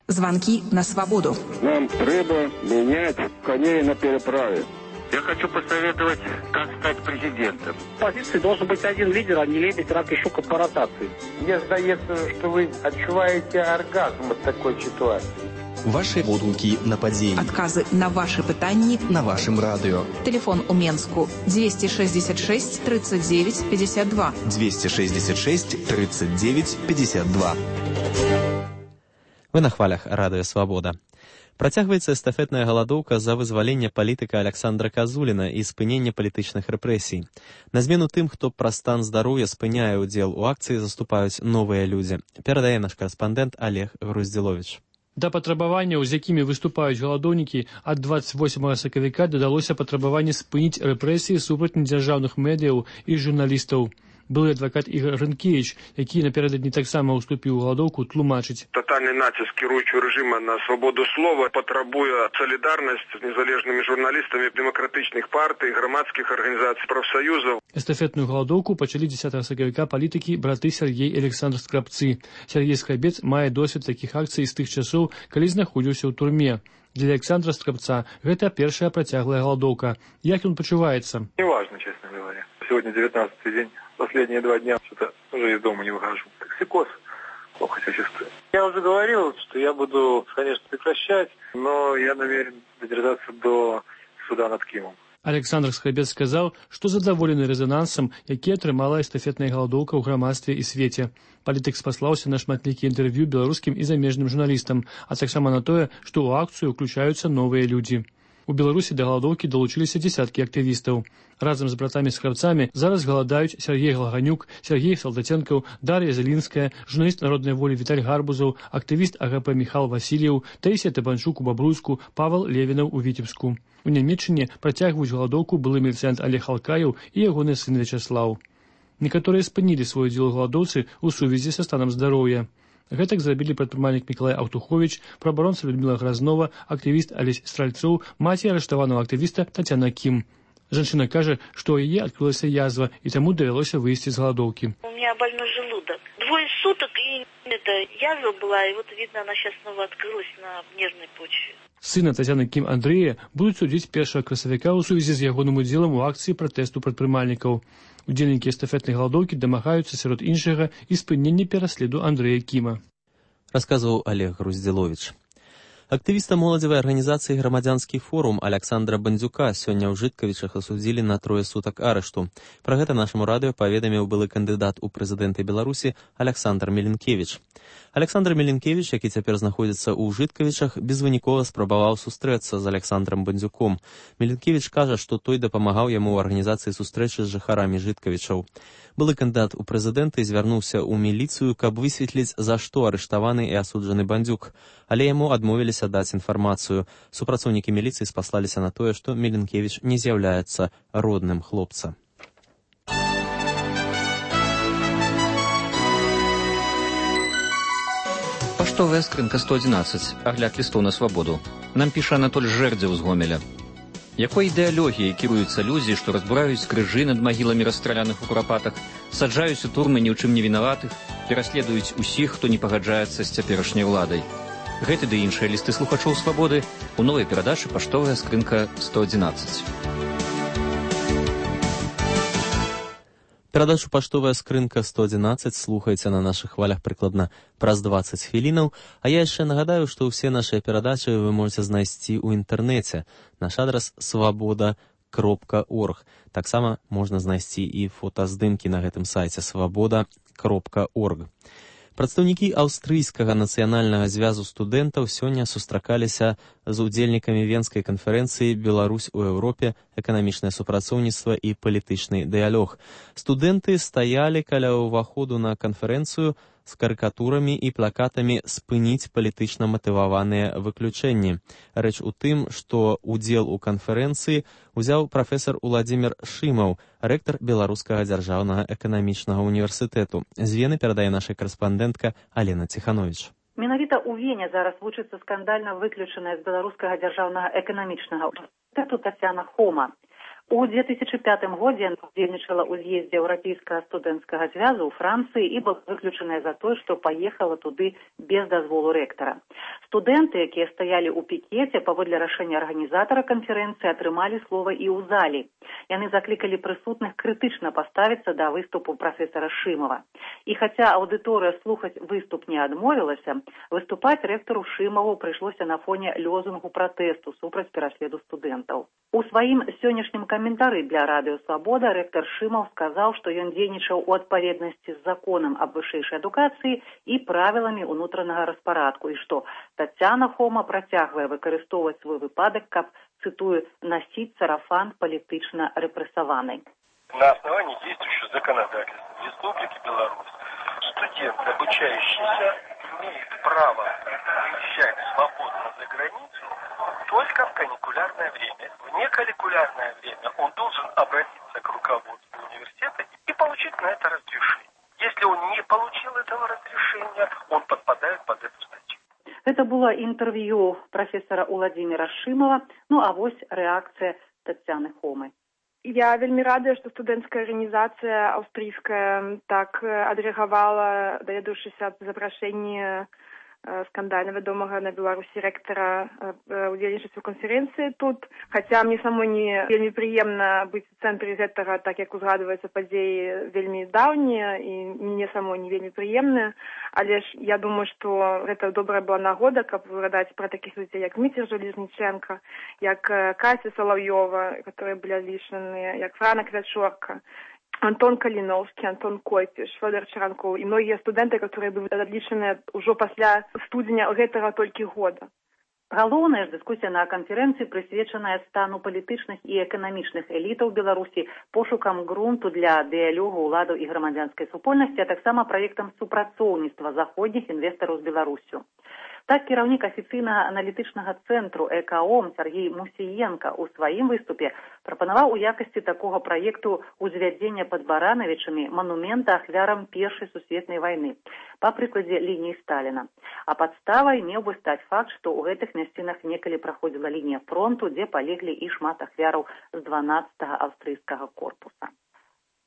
Звонки на свободу. Нам треба менять коней на переправе. Я хочу посоветовать, как стать президентом. В позиции должен быть один лидер, а не лебедь, рак и щука по ротации. Мне сдается, что вы отчуваете оргазм от такой ситуации. Ваши водгуки на падзеі. Адказы на ваши пытанні на вашым радыё. Телефон у Менску двести шестьдесят шесть тридцать девять пятьдесят два. двести шестьдесят шесть тридцать девять пятьдесят два. Вы на хвалях радыё Свабода. Працягваецца эстафетная галадоўка за вызваленне палітыка Александра Казуліна і спыненне палітычных рэпрэсій. На змену тым, хто праз стан здароўя спыняе ўдзел у акцыі, заступаюць новыя людзі. Перадае наш карэспандэнт Олег Груздзіловіч. Да патрабаванняў, з якімі выступаюць галадоўнікі, ад двадцать восьмага сакавіка дадалося патрабаванне спыніць рэпрэсіі супраць недзяржаўных медыяў і журналістаў. Былы адвакат Ігор Рынкевіч, які напярэдадні таксама ўступіў у галадоўку, тлумачыць. Тотальный натиск кіруючого режима на свободу слова потребує солідарність з незалежними журналістами демократичних партій, громадських організацій, профсоюзів. Эстафетную галадоўку пачалі дзесятага сакавіка палітыкі браты Сергей і Александр Скрабцы. Сергей Скрабец мае досвед такіх акцый з тых часоў, калі знаходзіўся ў турме. Для Александра Скрабца гэта першая працяглая галадоўка. Як ён пачуваецца? Неважно, честно говоря. Сегодня девятнадцатый день. Последние два дня что-то уже из дома не выхожу. Токсикоз. Плохо себя чувствую. Я уже говорил, что я буду, конечно, прекращать, но я намерен додержаться до суда над Кимом. Александр Скрабец сказаў, што задаволены рэзанансам, які атрымала эстафетная галадоўка ў грамадстве і свеце. Палітык спаслаўся на шматлікія інтэрв'ю беларускім і замежным журналістам, а таксама на тое, што ў акцыю ўключаюцца новыя людзі. У Беларусі да галадоўкі далучыліся дзесяткі актывістаў. Разам з братамі-скрабцамі зараз галадаюць Сергей Глаганюк, Сергей Салдатенкаў, Дар'я Зелінская, журналіст народнай волі Віталь Гарбузаў, актывіст АГП Міхал Васильеў, Таісія Табанчук у Бабруйску, Павел Левінаў у Віцебску. У Нямеччыне працягваюць галадоўку былы міліцыянт Олег Алкаеў і ягоны сын Вячаслаў. Некаторыя спынілі свой удзел у галадоўцы ў сувязі са станам здароўя. Гэтак зрабілі прадпрымальнік Мікалай Аўтуховіч, праабаронца Людміла Гразнова, актывіст Алесь Стральцоў, маці арыштаванага актывіста Тацяна Кім. Жанчына кажа, што ў яе адкрылася язва, і таму давялося выйсці з галадоўкі. У меня больной желудок. Двое суток, и это язва была, и вот, видно, она сейчас снова открылась на нервной почве. Сына Тацяны Кім Андрэя будуць судзіць першага красавіка ў сувязі з ягоным удзелам у акцыі пратэсту прадпрымальнікаў. Удзельнікі эстафетнай галадоўкі дамагаюцца сярод іншага і спынення пераследу Андрэя Кіма. Расказваў Олег Груздзіловіч. Актывіста моладзевай арганізацыі «Грамадзянскі форум» Александра Бандзюка сёння ў Жыткавічах асудзілі на трое сутак арышту. Пра гэта нашаму радыё паведаміў былы кандыдат у прэзідэнты Беларусі Александр Меленкевіч. Александр Меленкевіч, які цяпер знаходзіцца ў Жыткавічах, безвынікова спрабаваў сустрэцца з Александром Бандзюком. Меленкевіч кажа, што той дапамагаў яму ў арганізацыі сустрэчы з жыхарамі Жыткавічаў. Былы кандыдат у прэзідэнты звярнуўся ў міліцыю, каб высветліць, за што арыштаваны і асуджаны Бандзюк. Але яму адмовіліся даць інфармацыю. Супрацоўнікі міліцыі спаслаліся на тое, што Меленкевіч не з'яўляецца родным хлопца. Паштовая скрынка сто адзінаццаць. Агляд лістоў на свабоду. Нам піша Анатоль Жэрдзеў з Гомеля. Якой ідэалогіяй кіруюцца людзі, што разбураюць крыжы над магіламі расстраляных у курапатах, саджаюць у турмы ні ў чым не вінаватых, пераследуюць усіх, хто не пагаджаецца з цяперашняй уладай. Гэты ды іншыя лісты слухачоў свабоды у новай перадачы «Паштовая скрынка сто адзінаццаць». Перадачу «Паштовая скрынка сто адзінаццаць» слухайце на нашых хвалях прыкладна праз дваццаць хвілінаў, а я яшчэ нагадаю, што ўсе нашыя перадачы вы можете знайсці ў інтэрнэце. Наш адрас свабода кропка орг. Таксама можна знайсці і фотаздымкі на гэтым сайце свабода кропка орг. Прадстаўнікі аўстрыйскага нацыянальнага звязу студэнтаў сёння сустракаліся з удзельнікамі Венскай канферэнцыі «Беларусь у Еўропе. Эканамічнае супрацоўніцтва і палітычны дыялог». Студэнты стаялі каля ўваходу на канферэнцыю з карыкатурамі і плакатамі «Спыніць палітычна матываваныя выключэнні». Рэч у тым, што удзел у канферэнцыі узяў прафесар Уладзімір Шымаў, рэктар Беларускага дзяржаўнага эканамічнага універсітэту. З Вены перадае наша карэспандэнтка Алена Ціхановіч. Менавіта ў Вене зараз вучыцца скандальна выключаная з Беларускага дзяржаўнага эканамічнага універсітэту Тацяна Хома. У две тысячи пятым годзе яна удзельнічала ў з'ездзе Еўрапейскага студэнцкага звязу ў Францыі і была выключаная за тое, што паехала туды без дазволу рэктара. Студэнты, якія стаялі ў пікеце, паводле рашэння арганізатара канферэнцыі, атрымалі слова і ў зале. Яны заклікалі прысутных крытычна паставіцца да выступу прафесара Шымава. І хаця аўдыторыя слухаць выступ не адмовілася, выступаць рэктару Шымаву прыйшлося на фоне лозунгу пратэсту супраць пераследу студэнтаў. У сваім сённяшнім каментары для Радыё Свабода рэктар Шымаў сказаў, што ён дзейнічаў у адпаведнасці з законам аб вышэйшай адукацыі і правіламі ўнутранага распарадку, і што Тацяна Хома працягвае выкарыстоўваць свой выпадак, каб, цитую, «носить сарафан политично репрессованный». На основании действующего законодательства Республики Беларусь студент, обучающийся, имеет право выезжать свободно за границу только в каникулярное время. В неканикулярное время он должен обратиться к руководству университета и получить на это разрешение. Если он не получил этого разрешения, он подпадает под эту статью. Это было интервью профессора Уладзіміра Шымава, ну а вось рэакцыя Тацяны Хомы. Я вельмі радая, што студэнцкая арганізацыя аўстрыйская так адрэагавала, даведаўшыся аб запрашэнні скандальна вядомага на Беларусі рэктара удзельнічаць у канферэнцыі тут. Хаця мне самой не вельмі прыемна быць у цэнтры гэтага, так як узгадваецца падзеі вельмі даўнія і мне самой не вельмі прыемныя, але ж я думаю, што гэта добрая была нагода, каб згадаць пра такіх людзей, як Міцер Жалезніченка, як Кася Салаўёва, которые былі адлічаныя, як Франа Квячорка, Антон Каліноўскі, Антон Койпіш, Фёдор Чаранкоў і многія студэнты, которые былі адлічаныя ўжо пасля студзеня гэтага толькі года. Галоўная ж дыскусія на канферэнцыі прысвечаная стану палітычных і эканамічных элітаў Беларусі, пошукам грунту для дыялогу ўладаў і грамадзянскай супольнасці, а таксама праектам супрацоўніцтва заходніх інвестараў з Беларусю. Так, кіраўнік афіцыйнага аналітычнага цэнтру ЭКОМ Сергей Мусіенка ў сваім выступе прапанаваў у якасці такога праекту узвядзення пад Баранавічамі манумента ахвярам Першай сусветнай вайны, па прыкладзе лініі Сталіна. А падставай меў бы стаць факт, што ў гэтых мясцінах некалі праходзіла лінія фронту, дзе палеглі і шмат ахвяраў з дванаццатага аўстрыйскага корпуса.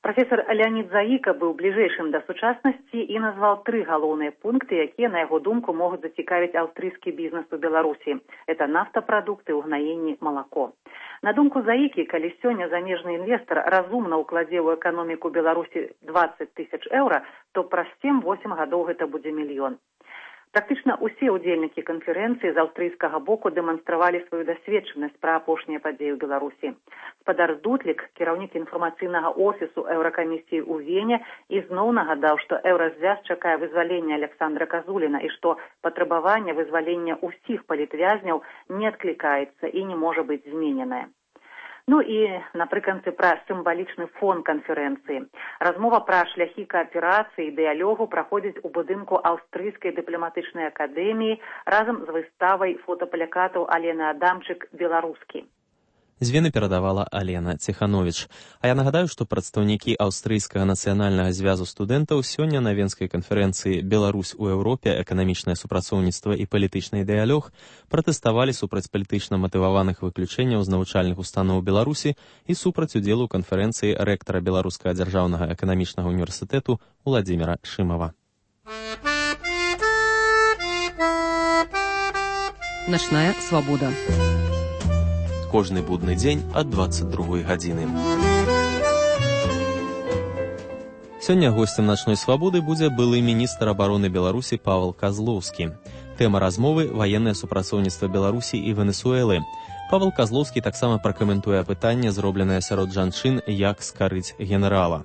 Професор Леонид Заіка быў бліжэйшым да сучаснасці і назваў тры галоўныя пункты, якія, на яго думку, могуць зацікавіць аўстрыйскі бізнес у Беларусі. Это нафтапрадукты, угнаенне, малако. На думку Заікі, калі сёння замежны інвестар разумна ўкладзе ў эканоміку Беларусі дваццаць тысяч еўра, то праз сем-восем гадоў гэта будзе мільён. Практычна ўсе ўдзельнікі канферэнцыі з аўстрыйскага боку дэманстравалі сваю дасведчанасць пра апошнія падзеі ў Беларусі. Спадар Дутлік, кіраўнік інфармацыйнага офісу Еўракамісіі ў Вене, ізноў нагадаў, што Еўразвяз чакае вызвалення Александра Казуліна і што патрабаванне вызвалення ўсіх палітвязняў не адклікаецца і не можа быць змененае. Ну і напрыканцы пра сімвалічны фон канферэнцыі. Размова пра шляхі кааперацыі і дыялогу праходзіць у будынку Аўстрыйскай дыпламатычнай акадэміі разам з выставай фотаплакатаў Алены Адамчык «Беларускі». З Вены перадавала Алена Ціхановіч. А я нагадаю, што прадстаўнікі Аўстрыйскага нацыянальнага звязу студэнтаў сёння на Венскай канферэнцыі «Беларусь у Еўропе. Эканамічнае супрацоўніцтва і палітычны дыялог» пратэставалі супраць палітычна матываваных выключэнняў з навучальных устаноў Беларусі і супраць удзелу ў канферэнцыі рэктара Беларускага дзяржаўнага эканамічнага універсітэту Уладзіміра Шымава. Начная свабода. Кожны будны дзень ад дваццаць другой гадзіны. Сёння госцем начной свабоды будзе былы міністр абароны Беларусі Павел Казлоўскі. Тэма размовы – ваеннае супрацоўніцтва Беларусі і Венесуэлы. Павел Казлоўскі таксама пракаментуе пытанне, зробленае сярод жанчын, як скарыць генерала.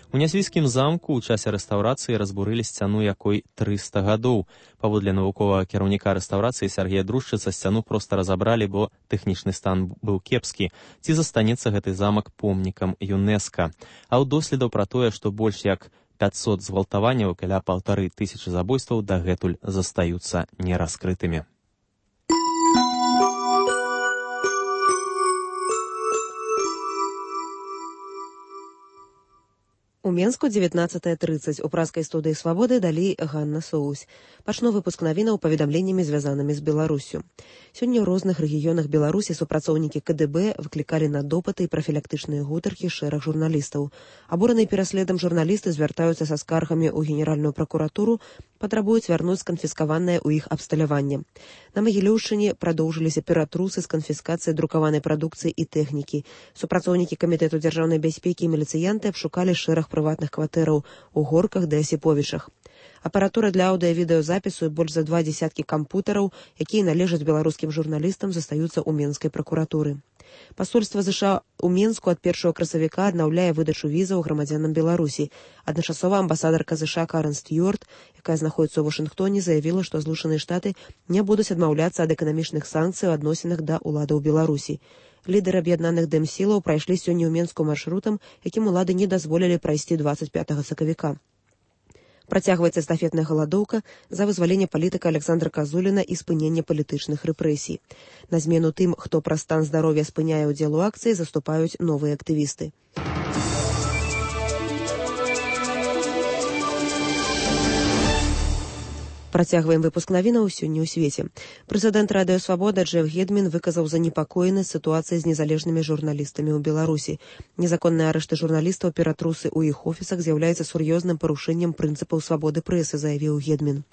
У нясвійскім замку ў часе рэстаўрацыі разбурылі сцяну, якой трыста гадоў. Паводле навуковага кіраўніка рэстаўрацыі Сергея Друшчыца, сцяну проста разабралі, бо тэхнічны стан быў кепскі. Ці застанецца гэты замак помнікам ЮНЕСКА. А ў доследаў пра тое, што больш як пятьсот згвалтаванняў, каля паўтары тысячы забойстваў дагэтуль застаюцца нераскрытымі. У Менску дзевятнаццатая трыццаць. У пражскай студыі «Свабоды» далей Ганна Соусь. Пачну выпуск навінаў паведамленнямі, звязанымі з Беларуссю. Сёння ў розных рэгіёнах Беларусі супрацоўнікі КДБ выклікалі на допыты і прафілактычныя гутаркі шэраг журналістаў. Абураныя пераследам журналісты звяртаюцца са скаргамі ў Генеральную пракуратуру, патрабуюць вярнуць сканфіскаванае ў іх абсталяванне. На Магілёўшчыне прадоўжыліся ператрусы з канфіскацыяй друкаванай прадукцыі і тэхнікі. Супрацоўнікі Камітэту дзяржаўнай бяспекі і міліцыянты абшукалі шэраг прыватных кватэраў у Горках ды Асіповічах. Апаратура для аўдыа-відэазапісу і больш за два дзесяткі кампутараў, якія належаць беларускім журналістам, застаюцца ў Менскай пракуратуры. Пасольства ЗША ў Менску ад першага красавіка аднаўляе выдачу візаў грамадзянам Беларусі. Адначасова амбасадарка ЗША Карен Стюарт, якая знаходзіцца ў Вашынгтоне, заявіла, што Злучаныя Штаты не будуць адмаўляцца ад эканамічных санкцый у адносінах да ўладаў Беларусі. Лідары аб'яднаных дэмсілаў прайшлі сёння ў Менску маршрутам, якім улады не дазволілі прайсці дваццаць пятага сакавіка. Працягваецца эстафетная галадоўка за вызваленне палітыка Александра Казуліна і спынення палітычных рэпрэсій. На змену тым, хто праз стан здароўя спыняе ўдзел у акцыі, заступаюць новыя актывісты. Працягваем выпуск навінаў сёння ў свеце. Прэзідэнт Радыё Свабода Джеф Гедмін выказаў занепакоенасць сітуацыяй з незалежнымі журналістамі ў Беларусі. Незаконныя арышты журналістаў, ператрусы ў іх офісах з'яўляецца сур'ёзным парушэннем прынцыпаў свабоды прэсы, заявіў Гедмін.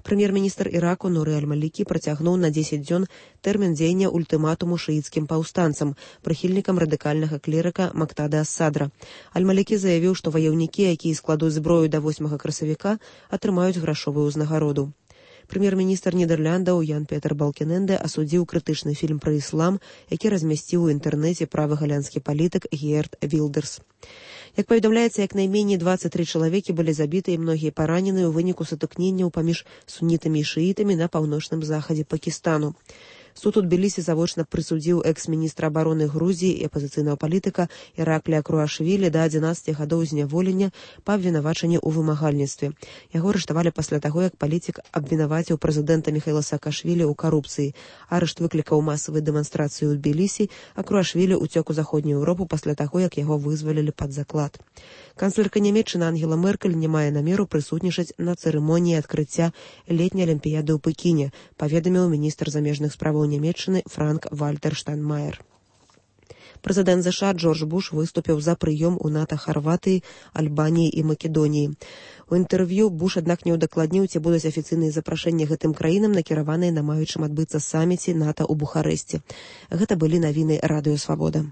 Прэм'ер-міністр Іраку Нуры Аль-Малікі працягнуў на дзесяць дзён тэрмін дзеяння ультыматуму шыіцкім паўстанцам, прыхільнікам радыкальнага клерыка Мактада Ас-Садра. Аль-Малікі заявіў, што ваяўнікі, якія складуць зброю да восьмага красавіка, атрымаюць грашовую ўзнагароду. Прэм'ер-міністр Нідэрляндаў Ян Петер Балкененде асудзіў крытычны фільм пра іслам, які размясціў у інтэрнэце правы галянскі палітык Геерт Вілдерс. Як паведамляецца, як найменей дваццаць тры чалавекі былі забіты і многія параненыя ў выніку сутыкненняў паміж сунітамі і шыітамі на паўночным захадзе Пакістану. Суд у Тбілісі завочна прысудзіў экс-міністра абароны Грузіі і апазіцыйнага палітыка Іраклія Круашвілі да адзінаццаці гадоў зняволення па абвінавачанні ў вымагальніцтве. Яго арыштавалі пасля таго, як палітык абвінаваціў прэзідэнта Міхаіла Саакашвілі ў карупцыі. Арышт выклікаў масавыя дэманстрацыі ў Тбілісі, а Круашвілі ўцёк у заходнюю Еўропу пасля таго, як яго вызвалілі пад заклад. Канцлерка Нямецчыны Ангела Меркель не мае намеру прысутнічаць на цырымоніі адкрыцця летняй алімпіяды ў Пекіне, паведаміў міністр замежных справаў Нямецчыны Франк Вальтер Штайнмаер. Прэзідэнт ЗША Джордж Буш выступіў за прыём у НАТО Харватыі, Альбаніі і Македоніі. У інтэрв'ю Буш, аднак, не ўдакладніў, ці будуць афіцыйныя запрашэнні гэтым краінам, накіраваныя на маючым адбыцца саміце НАТО ў Бухарэсце. Гэта былі навіны Радыё Свабода.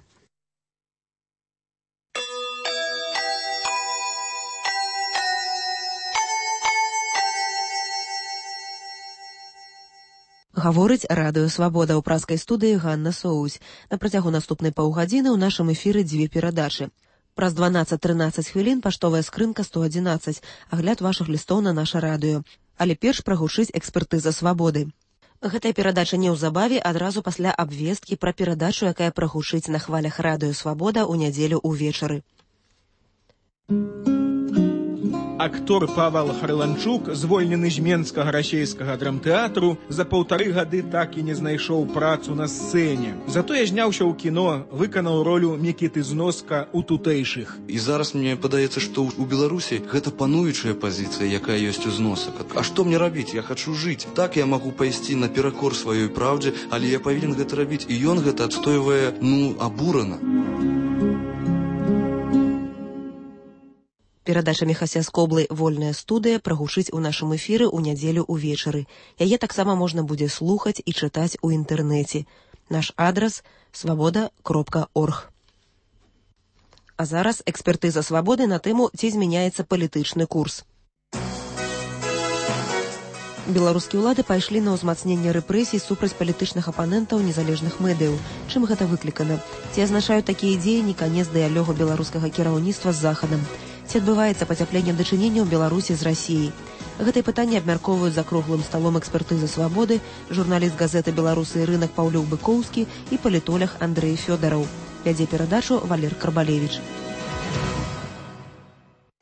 Гаворыць Радыё Свабода. У пражскай студыі Ганна Соусь. На працягу наступнай паўгадзіны ў нашым эфіры дзве перадачы. Праз дванаццаць-трынаццаць хвілін паштовая скрынка сто адзінаццаць, агляд вашых лістоў на наша радыё. Але перш прагучыць экспертыза свабоды. Гэтая перадача неўзабаве, адразу пасля абвесткі пра перадачу, якая прагучыць на хвалях Радыё Свабода ў нядзелю ўвечары. Актор Павел Харланчук, звольнены з Менскага расейскага драмтэатру, за паўтары гады так і не знайшоў працу на сцэне. Затое зняўся ў кіно, выканаў ролю Мікіты Зноска ў тутэйшых. І зараз мне падаецца, што ў Беларусі гэта пануючая пазіцыя, якая ёсць у Зносак. А што мне рабіць? Я хачу жыць. Так я магу пайсці наперакор сваёй праўдзе, але я павінен гэта рабіць. І ён гэта адстойвае, ну, абурана. Перадача Міхася Скоблы «Вольная студыя» прагучыць у нашым эфіры ў нядзелю ўвечары. Яе таксама можна будзе слухаць і чытаць у інтэрнэце. Наш адрас – свабода кропка орг. А зараз экспертыза свабоды на тэму, ці змяняецца палітычны курс. Беларускія ўлады пайшлі на ўзмацненне рэпрэсій супраць палітычных апанентаў незалежных медыяў. Чым гэта выклікана? Ці азначаюць такія дзеянні канец дыялогу беларускага кіраўніцтва з Захадам? Ці адбываецца пацяпленне дачынення ў Беларусі з Расіяй? Гэтае пытанне абмяркоўваюць за круглым сталом экспертызы «Свабоды», журналіст газеты «Беларусы і рынак» Паўлюк Быкоўскі і палітолог Андрэй Фёдараў. Вядзе перадачу Валер Карбалевіч.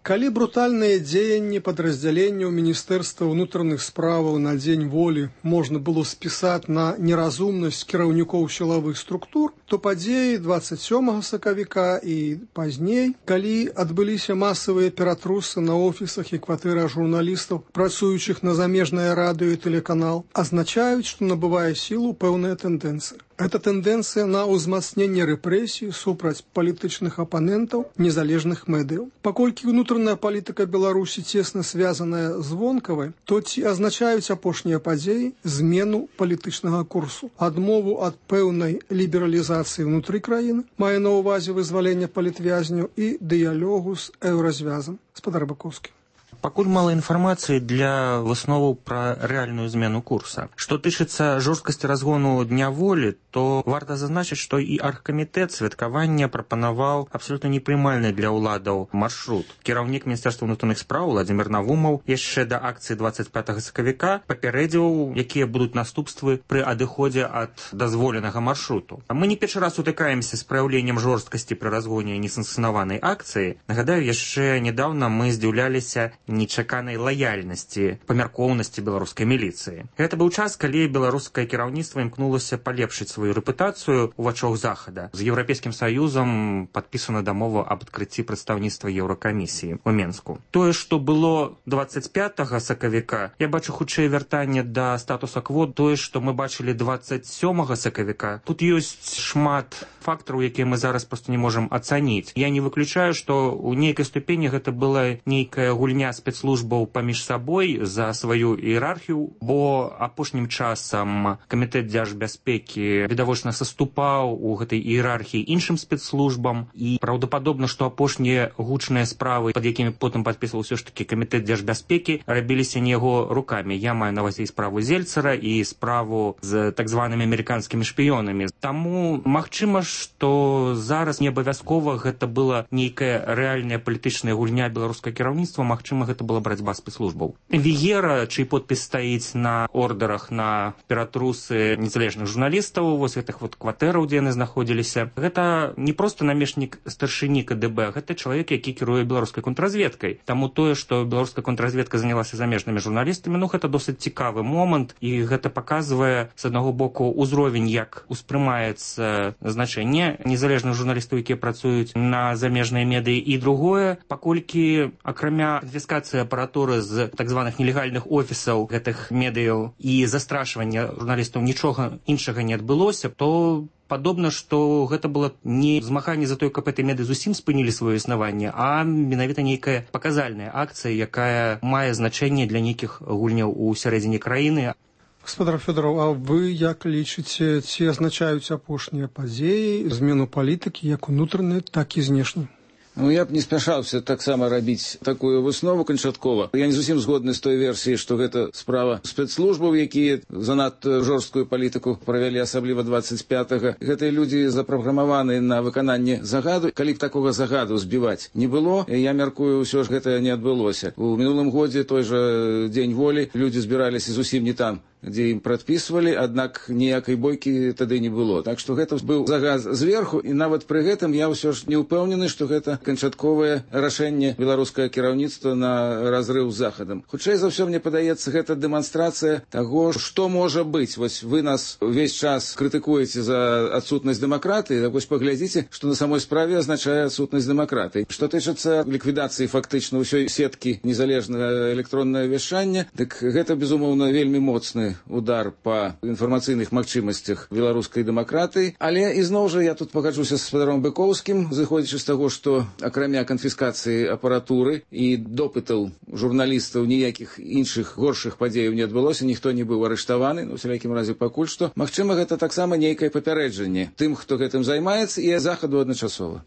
Калі брутальныя дзеянні падраздзяленняў Міністэрства ўнутраных справаў на дзень волі можна было спісаць на неразумнасць кіраўнікоў сілавых структур, то падзеі дваццаць сёмага сакавіка і пазней, калі адбыліся масавыя ператрусы на офісах і кватэрах журналістаў, працуючых на замежнае радыё і тэлеканал, азначаюць, што набывае сілу пэўная тэндэнцыя. Гэта тэндэнцыя на ўзмацненне рэпрэсій супраць палітычных апанентаў незалежных медыяў. Паколькі ўнутраная палітыка Беларусі цесна звязаная з вонкавай, то ці азначаюць апошнія падзеі змену палітычнага курсу, адмову ад пэўнай лібералізацыі ўнутры краіны, мае на ўвазе вызвалення палітвязняў і дыялогу з еўразвязам. Спадар Быкоўскі. Пакуль мала інфармацыі для высноваў пра рэальную змену курса. Што тычыцца жорсткасці разгону дня волі, то варта зазначыць, што і аргкамітэт святкавання прапанаваў абсалютна непрымальны для ўладаў маршрут. Кіраўнік Міністэрства ўнутраных спраў Владзімір Навумаў яшчэ да акцыі дваццаць пятага сакавіка папярэдзіў, якія будуць наступствы пры адыходзе ад дазволенага маршруту. Мы не першы раз сутыкаемся з праяўленнем жорсткасці пры разгоне несанкцыянаванай акцыі. Нагадаю, яшчэ нядаўна мы здзіўляліся нечаканай лаяльнасці, памяркоўнасці беларускай міліцыі. Гэта быў час, калі беларускае кіраўніцтва імкнулася палепшыць сваю рэпутацыю ў вачах захада. З Еўрапейскім саюзам падпісана дамова аб адкрыцці прадстаўніцтва Еўракамісіі ў Менску. Тое, што было дваццаць пятага сакавіка, я бачу хутчэй вяртанне да статуса кво. Тое, што мы бачылі дваццаць сёмага сакавіка, тут ёсць шмат фактараў, якія мы зараз проста не можам ацаніць. Я не выключаю, што ў нейкай ступені гэта была нейкая гульня спецслужбаў паміж сабой за сваю іерархію, бо апошнім часам камітэт дзяржбяспекі відавочна саступаў у гэтай іерархіі іншым спецслужбам, і праўдападобна, што апошнія гучныя справы, пад якімі потым падпісваў усё ж такі камітэт дзяржбяспекі, рабіліся не яго рукамі. Я маю на ўвазе і справу Зельцера, і справу з так званымі амерыканскімі шпіёнамі. Таму магчыма, што зараз не абавязкова гэта была нейкая рэальная палітычная гульня беларускага кіраўніцтва, магчыма, гэта была барацьба спецслужбаў. Віера, чый подпіс стаіць на ордерах на ператрусы незалежных журналістаў, вось гэтых вот кватэраў, дзе яны знаходзіліся, гэта не проста намешнік старшыні КДБ, гэта чалавек, які кіруе беларускай контрразведкай. Таму тое, што беларуская контрразведка занялася замежнымі журналістамі, ну гэта досыць цікавы момант, і гэта паказвае з аднаго боку ўзровень, як успрымаецца значэнне незалежных журналістаў, якія працуюць на замежныя медыі, і другое, паколькі акрамя канфіскацыі апаратуры з так званых нелегальных офісаў гэтых медыяў і застрашвання журналістаў нічога іншага не адбылося, то падобна, што гэта было не змаганне за тое, каб гэтыя медыі зусім спынілі сваё існаванне, а менавіта нейкая паказальная акцыя, якая мае значэнне для нейкіх гульняў у сярэдзіне краіны. Гаспадар Фёдараў, а вы як лічыце, ці азначаюць апошнія падзеі змену палітыкі як унутранай, так і знешняй? Ну, я б не спяшаўся таксама рабіць такую выснову канчаткова. Я не зусім згодны з той версіяй, што гэта справа спецслужбаў, якія занадта жорсткую палітыку правялі, асабліва дваццаць пятага. Гэтыя людзі запраграмаваны на выкананне загаду. Калі б такога загаду збіваць не было, я мяркую, ўсё ж гэта не адбылося. У мінулым годзе той жа дзень волі людзі збіраліся зусім не там, дзе ім прадпісвалі, аднак ніякай бойкі тады не было. Так што гэта быў загад зверху, і нават пры гэтым я ўсё ж не ўпэўнены, што гэта канчатковае рашэнне беларускага кіраўніцтва на разрыў з захадам. Хутчэй за ўсё, мне падаецца, гэта дэманстрацыя таго, што можа быць. Вось вы нас увесь час крытыкуеце за адсутнасць дэмакратыі, так вось паглядзіце, што на самой справе азначае адсутнасць дэмакратыі. Што тычыцца ліквідацыі фактычна ўсёй сеткі незалежнага электроннага вяшчання, дык гэта, безумоўна, вельмі моцны удар па інфармацыйных магчымасцях беларускай дэмакратыі. Але ізноў жа я тут пагаджуся з спадаром Быкоўскім, зыходзячы з таго, што акрамя канфіскацыі апаратуры і допытаў журналістаў ніякіх іншых горшых падзеяў не адбылося, ніхто не быў арыштаваны, ну, у всялякім разе пакуль што. Магчыма, гэта таксама нейкае папярэджанне тым, хто гэтым займаецца, і захаду адначасова.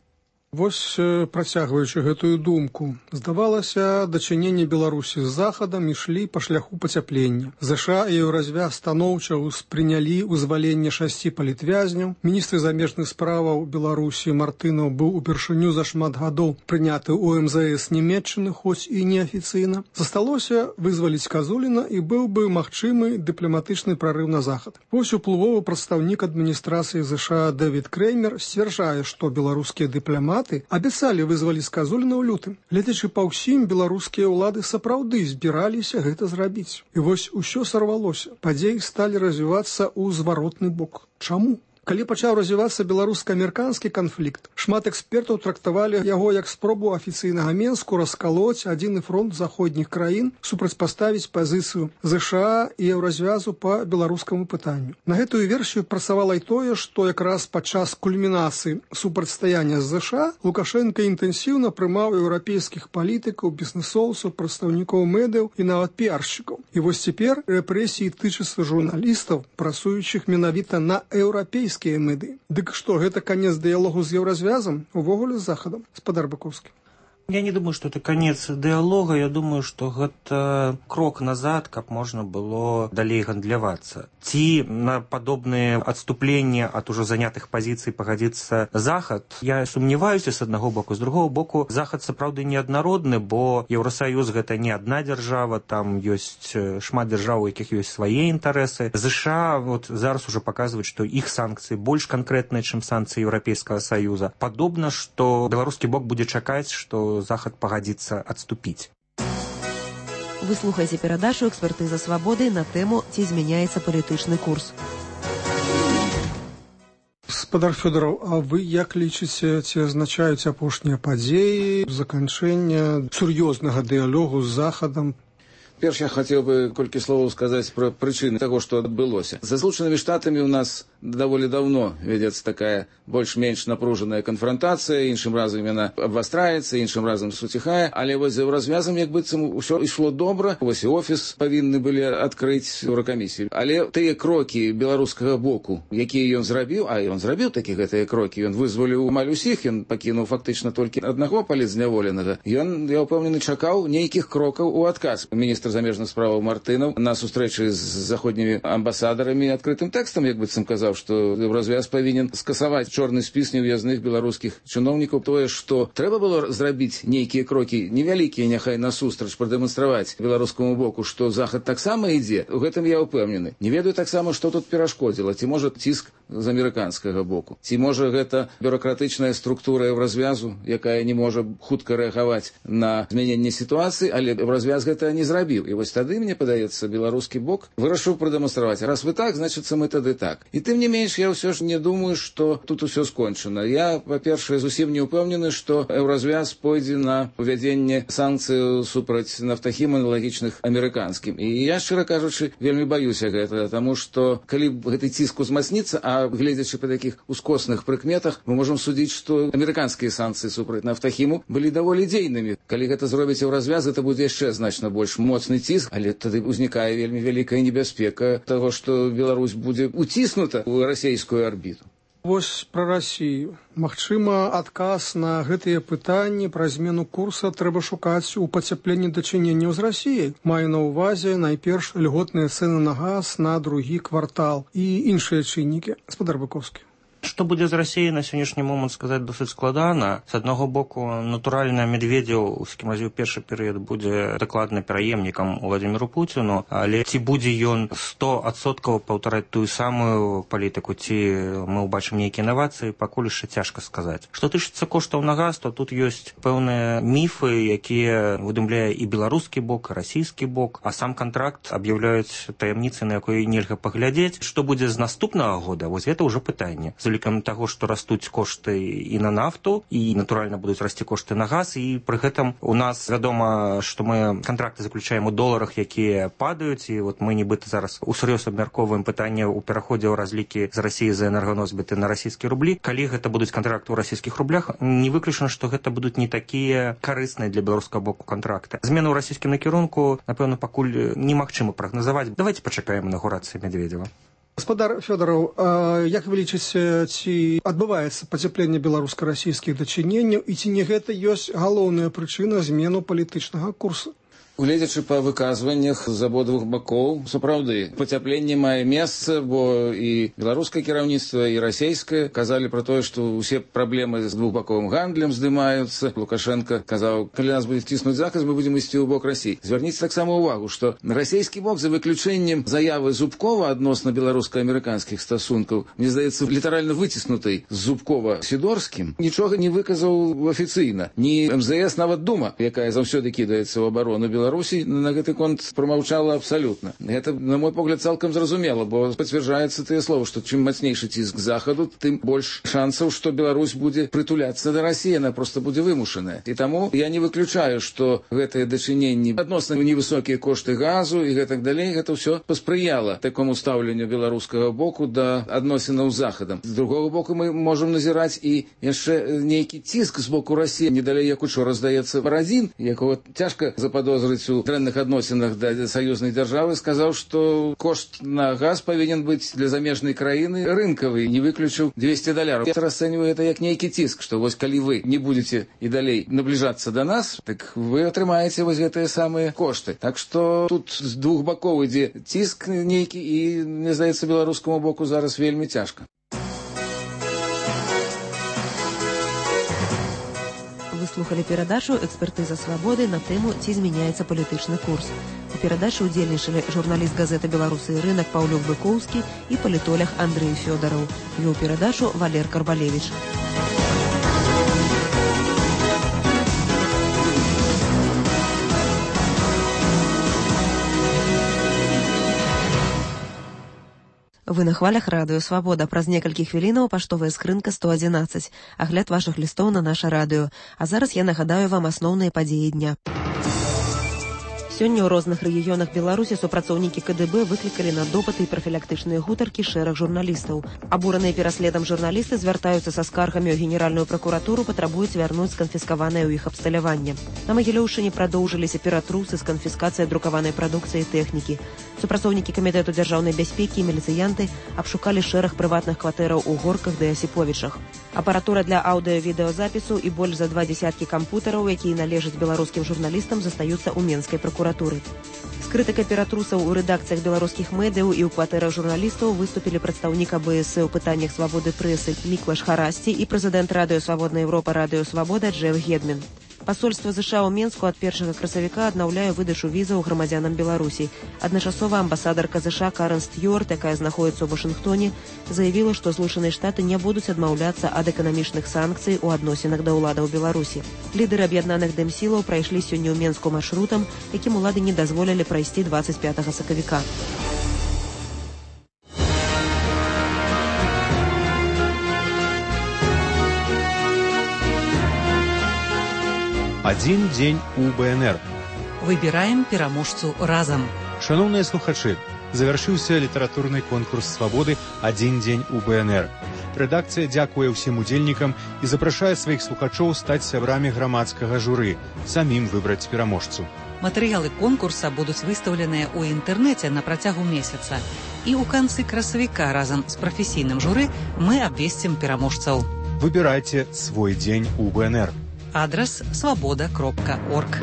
Вось, працягваючы гэтую думку, здавалася, дачыненне Беларусі з Захадам ішлі па шляху пацяплення. ЗША і Еўразвяз станоўча ўспрынялі вызваленне шасці палітвязняў. Міністр замежных справаў Беларусі Мартынаў быў упершыню за шмат гадоў прыняты ў эм зэ эс Нямецчыны, хоць і неафіцыйна. Засталося вызваліць Казуліна і быў бы магчымы дыпламатычны прарыў на захад. Вось уплывовы прадстаўнік адміністрацыі ЗША Дэвід Креймер сцвярджае, што беларускія дыпламаты абяцалі вызваліць Казуліна ў лютым. Гледзячы па ўсім, беларускія ўлады сапраўды збіраліся гэта зрабіць. І вось усё сарвалося. Падзеі сталі развівацца ў зваротны бок. Чаму? Калі пачаў развівацца беларуска-амерыканскі канфлікт, шмат экспертаў трактавалі яго як спробу афіцыйнага Менску раскалоць адзіны фронт заходніх краін, супрацьпаставіць пазіцыю ЗША і Еўразвязу па беларускаму пытанню. На гэтую версію працавала і тое, што якраз падчас кульмінацыі супрацьстаяння з ЗША Лукашенка інтэнсіўна прымаў еўрапейскіх палітыкаў, бізнесоўцаў, прадстаўнікоў медыяў і нават піаршчыкаў. І вось цяпер рэпрэсіі тычацца журналістаў, працуючых менавіта на еўрапейскіх меды. Дык што, гэта канец дыялогу з Еўразвязам, увогуле з Захадам? Спадар Бакоўскі. Я не думаю, что это конец диалога, я думаю, что это крок назад, как можно было далей гандлявацца. Ці на подобные отступления от уже занятых позиций погодится Захад, я сумневаюсь с одного боку. С другого боку, Захад сапраўды неаднародны, бо Еўросоюз гэта не одна держава, там есть шмат держав, у якіх есть свои интересы. ЗША вот зараз уже показывает, что их санкции больше конкретные, чем санкции Европейского Союза. Подобно, что белорусский бок будет чакаць, что Захад пагадзіцца адступіць. Вы слухаеце перадачу «Экспертыза свабоды» на тэму «Ці змяняецца палітычны курс». Спадар Фёдораў, а вы як лічыце, ці азначаюць апошнія падзеі заканчэння сур'ёзнага дыялогу з Захадам? Перш я хотел бы колькі словаў сказаць пра прычыны таго, што адбылося. За Злучанымі Штатамі у нас даволі давно вядзецца такая больш-менш напружаная канфронтацыя, іншым разам яна абвастраецца, іншым разам суціхае, але вось за развязам як быццам усё ішло добра. Вось і офіс павінны былі адкрыць Еўракамісію. Але тыя крокі беларускага боку, якія ён зрабіў, а ён зрабіў такі гэтыя крокі, ён вызваліў амаль усіх, ён пакінуў фактычна толькі аднаго палітзняволенага. Ён, я ўпэўнены, чакаў нейкіх крокаў у адказ. Міністр замежных справаў Мартынаў на сустрэчы з заходнімі амбасадарамі адкрытым тэкстам, як быццам казаў, што Еўразвяз павінен скасаваць чорны спіс неўязных беларускіх чыноўнікаў. Тое, што трэба было зрабіць нейкія крокі невялікія, няхай насустрач прадэманстраваць беларускаму боку, што Захад таксама ідзе, у гэтым я ўпэўнены. Не ведаю таксама, што тут перашкодзіла, ці можа ціск з амерыканскага боку, ці можа гэта бюракратычная структура Еўразвязу, якая не можа хутка рэагаваць на змяненне сітуацыі, але Еўразвяз гэта не зрабіў. І вось тады, мне падаецца, беларускі бок вырашыў прадэманстраваць. Раз вы так, значыцца мы тады так. І тым не менш, я ўсё ж не думаю, што тут усё скончана. Я, па-першае, зусім не ўпэўнены, што Еўразвяз пойдзе на увядзенне санкцыяў супраць нафтахім аналагічных амерыканскім. І я, шчыра кажучы, вельмі баюся гэтага, таму што калі гэты ціск узмацніцца, а гледзячы па такіх ускосных прыкметах, мы можам судзіць, што амерыканскія санкцыі супраць нафтахіму былі даволі дзейнымі. Калі гэта зробіць Еўразвяз, гэта будзе яшчэ значна больш моцны ціск, але тады ўзнікае вельмі вялікая небяспека таго, што Беларусь будзе уціснута ў расійскую арбіту. Вось пра Расію. Магчыма, адказ на гэтыя пытанні пра змену курса трэба шукаць у пацяпленні дачыненняў з Расіяй. Маю на ўвазе найперш льготныя цэны на газ на другі квартал і іншыя чыннікі. Спадар Бакоўскі. Што будзе з Расіяй на сённяшні момант сказаць досыць складана. З аднаго боку, натуральна, Медведзеў, у скім разе ў першы перыяд, будзе дакладна пераемнікам Владзіміру Пуціну, але ці будзе ён сто адсоткаў паўтараць тую самую палітыку, ці мы ўбачым нейкія інавацыі, пакуль яшчэ цяжка сказаць. Што тычыцца коштаў на газ, то тут ёсць пэўныя міфы, якія выдумляе і беларускі бок, і расійскі бок, а сам кантракт аб'яўляюць таямніцай, на якой нельга паглядзець. Што будзе з наступнага года, вось гэта ўжо пытанне. Улікам таго, што растуць кошты і на нафту, і, натуральна, будуць расці кошты на газ, і пры гэтым у нас вядома, што мы кантракты заключаем у доларах, якія падаюць, і вот мы нібыта зараз усур'ёз абмяркоўваем пытанне ў пераходзе ў разлікі з Расіі за энерганосьбіты на расійскія рублі. Калі гэта будуць кантракты ў расійскіх рублях, не выключана, што гэта будуць не такія карысныя для беларускага боку кантракты. Змены ў расійскім накірунку, напэўна, пакуль немагчыма прагназаваць. Давайте пачакаем інаўгурацыі Медведзева. Гаспадар Фёдараў, як вы лічыце, ці адбываецца пацяпленне беларуска-расійскіх дачыненняў і ці не гэта ёсць галоўная прычына змену палітычнага курсу? Гледзячы па выказваннях з абодвух бакоў, сапраўды, пацяпленне мае месца, бо і беларускае кіраўніцтва, і расійскае казалі пра тое, што ўсе праблемы з двухбаковым гандлем здымаюцца. Лукашенко казаў, калі нас будзе ціснуць захад, мы будзем ісці ў бок Расіі. Звярніце таксама ўвагу, што расійскі бок, за выключэннем заявы Зубкова адносна беларуска-амерыканскіх стасункаў, мне здаецца, літаральна выціснутай з Зубкова-Сідорскім, нічога не выказаў афіцыйна. Ні эм зэ эс, нават Дума, якая заўсёды кідаецца ў абарону Беларусі, Беларусі на гэты конт прамаўчала абсалютна. Гэта, на мой погляд, цалкам зразумела, бо пацвярджаецца тыя словы, што чым мацнейшы ціск захаду, тым больш шансаў, што Беларусь будзе прытуляцца да Расіі, яна проста будзе вымушаная. І таму я не выключаю, што гэтыя дачыненні адносна невысокія кошты газу і гэтак далей, гэта ўсё паспрыяла такому стаўленню беларускага боку да адносінаў з захадам. З другога боку, мы можам назіраць і яшчэ нейкі ціск з боку Расіі, не далей як учора, здаецца, Барадзін, якого цяжка заподозрыць у дрэнных адносінах да саюзнай дзяржавы, сказаў, што кошт на газ павінен быць для замежнай краіны рынкавы, не выключыў двести даляраў. Я расцэньваю гэта як нейкі ціск, што вось калі вы не будзеце і далей набліжацца да нас, так вы атрымаеце вось гэтыя самыя кошты. Так што тут з двух бакоў ідзе ціск нейкі і, мне здаецца, беларускаму боку зараз вельмі цяжка. Вы слухали перадачу «Экспертыза свабоды» на тэму «Ці змяняецца палітычны курс». У перадачы ўдзельнічалі журналіст газеты «Беларусы і рынак» Паўлюк Быкоўскі і палітолог Андрэй Фёдараў. Вёў перадачу Валер Карбалевіч. Вы на хвалях радыё «Свабода». Праз некалькі хвілінаў паштовая скрынка сто адзінаццаць. Агляд вашых лістоў на наша радыё. А зараз я нагадаю вам асноўныя падзеі дня. Сёння ў розных рэгіёнах Беларусі супрацоўнікі ка дэ бэ выклікалі на допыты і прафілактычныя гутаркі шэраг журналістаў. Абураныя пераследам журналісты звяртаюцца са скаргамі ў генеральную пракуратуру, патрабуюць вярнуць сканфіскаванае ў іх абсталяванне. На Магілёўшчыне прадоўжыліся ператрусы з канфіскацыяй друкаванай прадукцыі і тэхнікі. Супрацоўнікі камітэту дзяржаўнай бяспекі і міліцыянты абшукалі шэраг прыватных кватэраў у Горках ды Асіповічах. Апаратура для аўдыё-відэазапісу і больш за два дзесяткі кампутараў, якія належаць беларускім журналістам, застаюцца ў Менскай пракуратуры. З крытыкай ператрусаў у рэдакцыях беларускіх медыяў і ў кватэрах журналістаў выступілі прадстаўнік а бэ эс э ў пытаннях свабоды прэсы Міклаш Харасці і прэзідэнт радыё «Свабодная Еўропа» радыё «Свабода» Джеф Гедмін. Пасольства ЗША ў Менску ад першага красавіка аднаўляе выдачу візаў грамадзянам Беларусі. Адначасова амбасадарка ЗША Карен Стюарт, якая знаходіцца ў Вашынгтоне, заявіла, што Злучаныя Штаты не будуць адмаўляцца ад эканамічных санкцый у адносінах да ўладаў Беларусі. Лідары аб'яднаных дэмсілаў прайшлі сёння ў Менску маршрутам, якім улады не дазволілі прайсці дваццаць пятага сакавіка. Адзін дзень у бэ эн эр. Выбіраем пераможцу разам. Шаноўныя слухачы, завяршыўся літаратурны конкурс свабоды «Адзін дзень у бэ эн эр». Рэдакцыя дзякуе ўсім удзельнікам і запрашае сваіх слухачоў стаць сябрамі грамадскага журы, самім выбраць пераможцу. Матэрыялы конкурса будуць выстаўленыя ў інтэрнэце на працягу месяца. І ў канцы красавіка разам з прафесійным журы мы абвесцім пераможцаў. Выбірайце свой дзень у бэ эн эр. Адрес свобода кропка орг.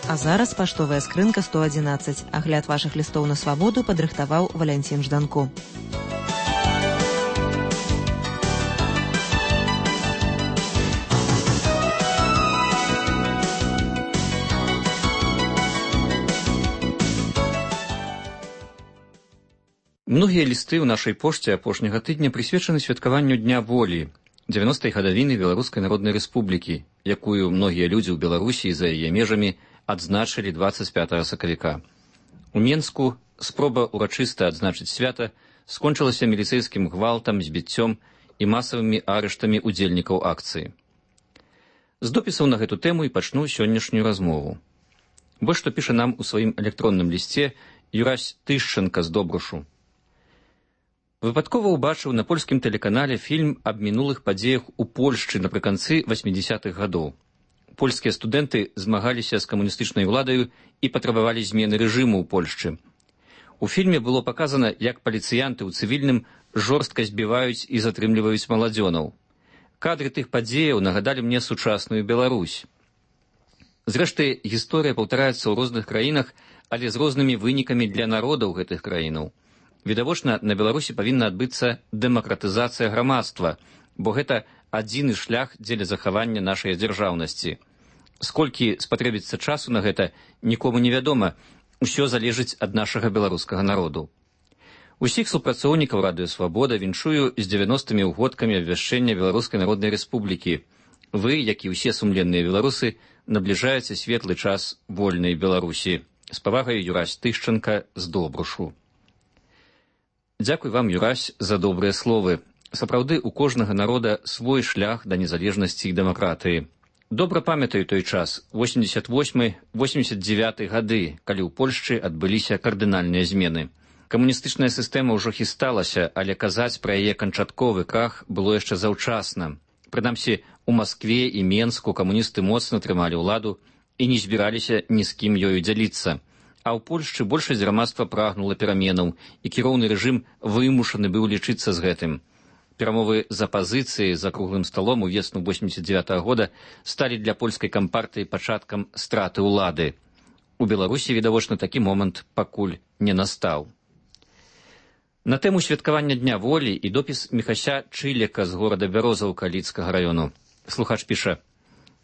А зараз паштовая скрынка сто адзінаццаць. Агляд вашых лістоў на свабоду падрыхтаваў Валянцін Жданко. Многія лісты ў нашай пошце апошняга тыдня прысвечаны святкаванню Дня волі, дзевяностай гадавіны Беларускай Народнай Рэспублікі, якую многія людзі ў Беларусі і за яе межамі адзначылі дваццаць пятага сакавіка. У Менску спроба урачыста адзначыць свята скончылася міліцэйскім гвалтам, збіццём і масавымі арыштамі удзельнікаў акцыі. З допісаў на гэту тэму і пачну сённяшнюю размову. Вось што піша нам у сваім электронным лісце Юрась Тышченка з Добрушу. Выпадкова ўбачыў на польскім тэлеканале фільм аб мінулых падзеях у Польшчы напрыканцы васьмідзесятых гадоў. польскія студэнты змагаліся з камуністычнай уладаю і патрабавалі змены рэжыму ў Польшчы. У фільме было паказана, як паліцыянты ў цывільным жорстка збіваюць і затрымліваюць маладзёнаў. Кадры тых падзеяў нагадалі мне сучасную Беларусь. Зрэшты, гісторыя паўтараецца ў розных краінах, але з рознымі вынікамі для народаў гэтых краінаў. Відавочна, на Беларусі павінна адбыцца дэмакратызацыя грамадства, бо гэта адзіны шлях дзеля захавання нашай дзяржаўнасці. Сколькі спатрэбіцца часу на гэта, нікому не вядома, усё залежыць ад нашага беларускага народу. Усіх супрацоўнікаў Радыё Свабода віншую з дзевяностымі ўгодкамі абвяшчэння Беларускай Народнай Рэспублікі. Вы, як і ўсе сумленныя беларусы, набліжаеце светлы час вольнай Беларусі. З павагай, Юрась Тышчанка з Добрушу. Дзякуй вам, Юрась, за добрыя словы. Сапраўды, у кожнага народа свой шлях да незалежнасці і дэмакратыі. Добра памятаю той час, восемьдесят восьмы — восемьдесят девяты гады, калі ў Польшчы адбыліся кардынальныя змены. Камуністычная сістэма ўжо хісталася, але казаць пра яе канчатковы крах было яшчэ заўчасна. Прынамсі, у Маскве і Менску камуністы моцна трымалі ўладу і не збіраліся ні з кім ёю дзяліцца. А ў Польшчы большасць грамадства прагнула пераменаў, і кіроўны рэжым вымушаны быў лічыцца з гэтым. Перамовы з апазіцыяй за круглым сталом у весну восемьдесят девятого года сталі для польскай кампартыі пачаткам страты ўлады. У Беларусі, відавочна, такі момант пакуль не настаў. На тэму святкавання Дня волі і допіс Міхася Чылека з горада Бярозаўка Лідскага раёну. Слухач піша: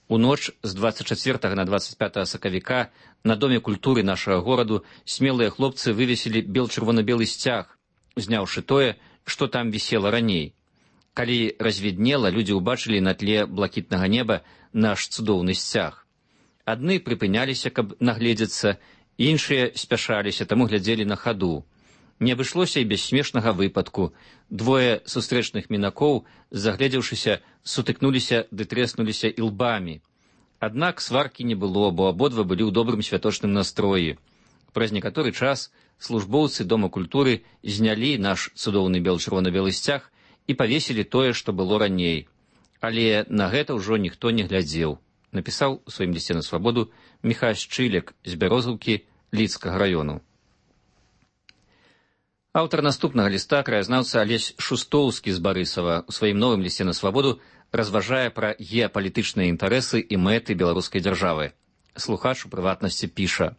у ноч з двадцать чацвёртага на двадцать пятое сакавіка на Доме культуры нашага гораду смелыя хлопцы вывесілі бел-чырвона-белы сцяг, зняўшы тое, што там вісела раней. Калі развіднела, людзі ўбачылі на тле блакітнага неба наш цудоўны сцяг. Адны прыпыняліся, каб нагледзецца, іншыя спяшаліся, таму глядзелі на хаду. Не абышлося і без смешнага выпадку. Двое сустрэчных мінакоў, загледзеўшыся, сутыкнуліся ды трэснуліся ілбамі. Аднак сваркі не было, бо абодва былі ў добрым святочным настроі. Праз некаторы час службоўцы Дома культуры знялі наш цудоўны бел-чырвона-белы сцяг і павесілі тое, што было раней. Але на гэта ўжо ніхто не глядзеў, напісаў у сваім лісце на свабоду Міхась Чылек з Бярозаўкі Лідскага раёну. Аўтар наступнага ліста, краязнаўца Алесь Шустоўскі з Барысава, у сваім новым лісце на свабоду разважае пра геапалітычныя інтарэсы і мэты беларускай дзяржавы. Слухач у прыватнасці піша: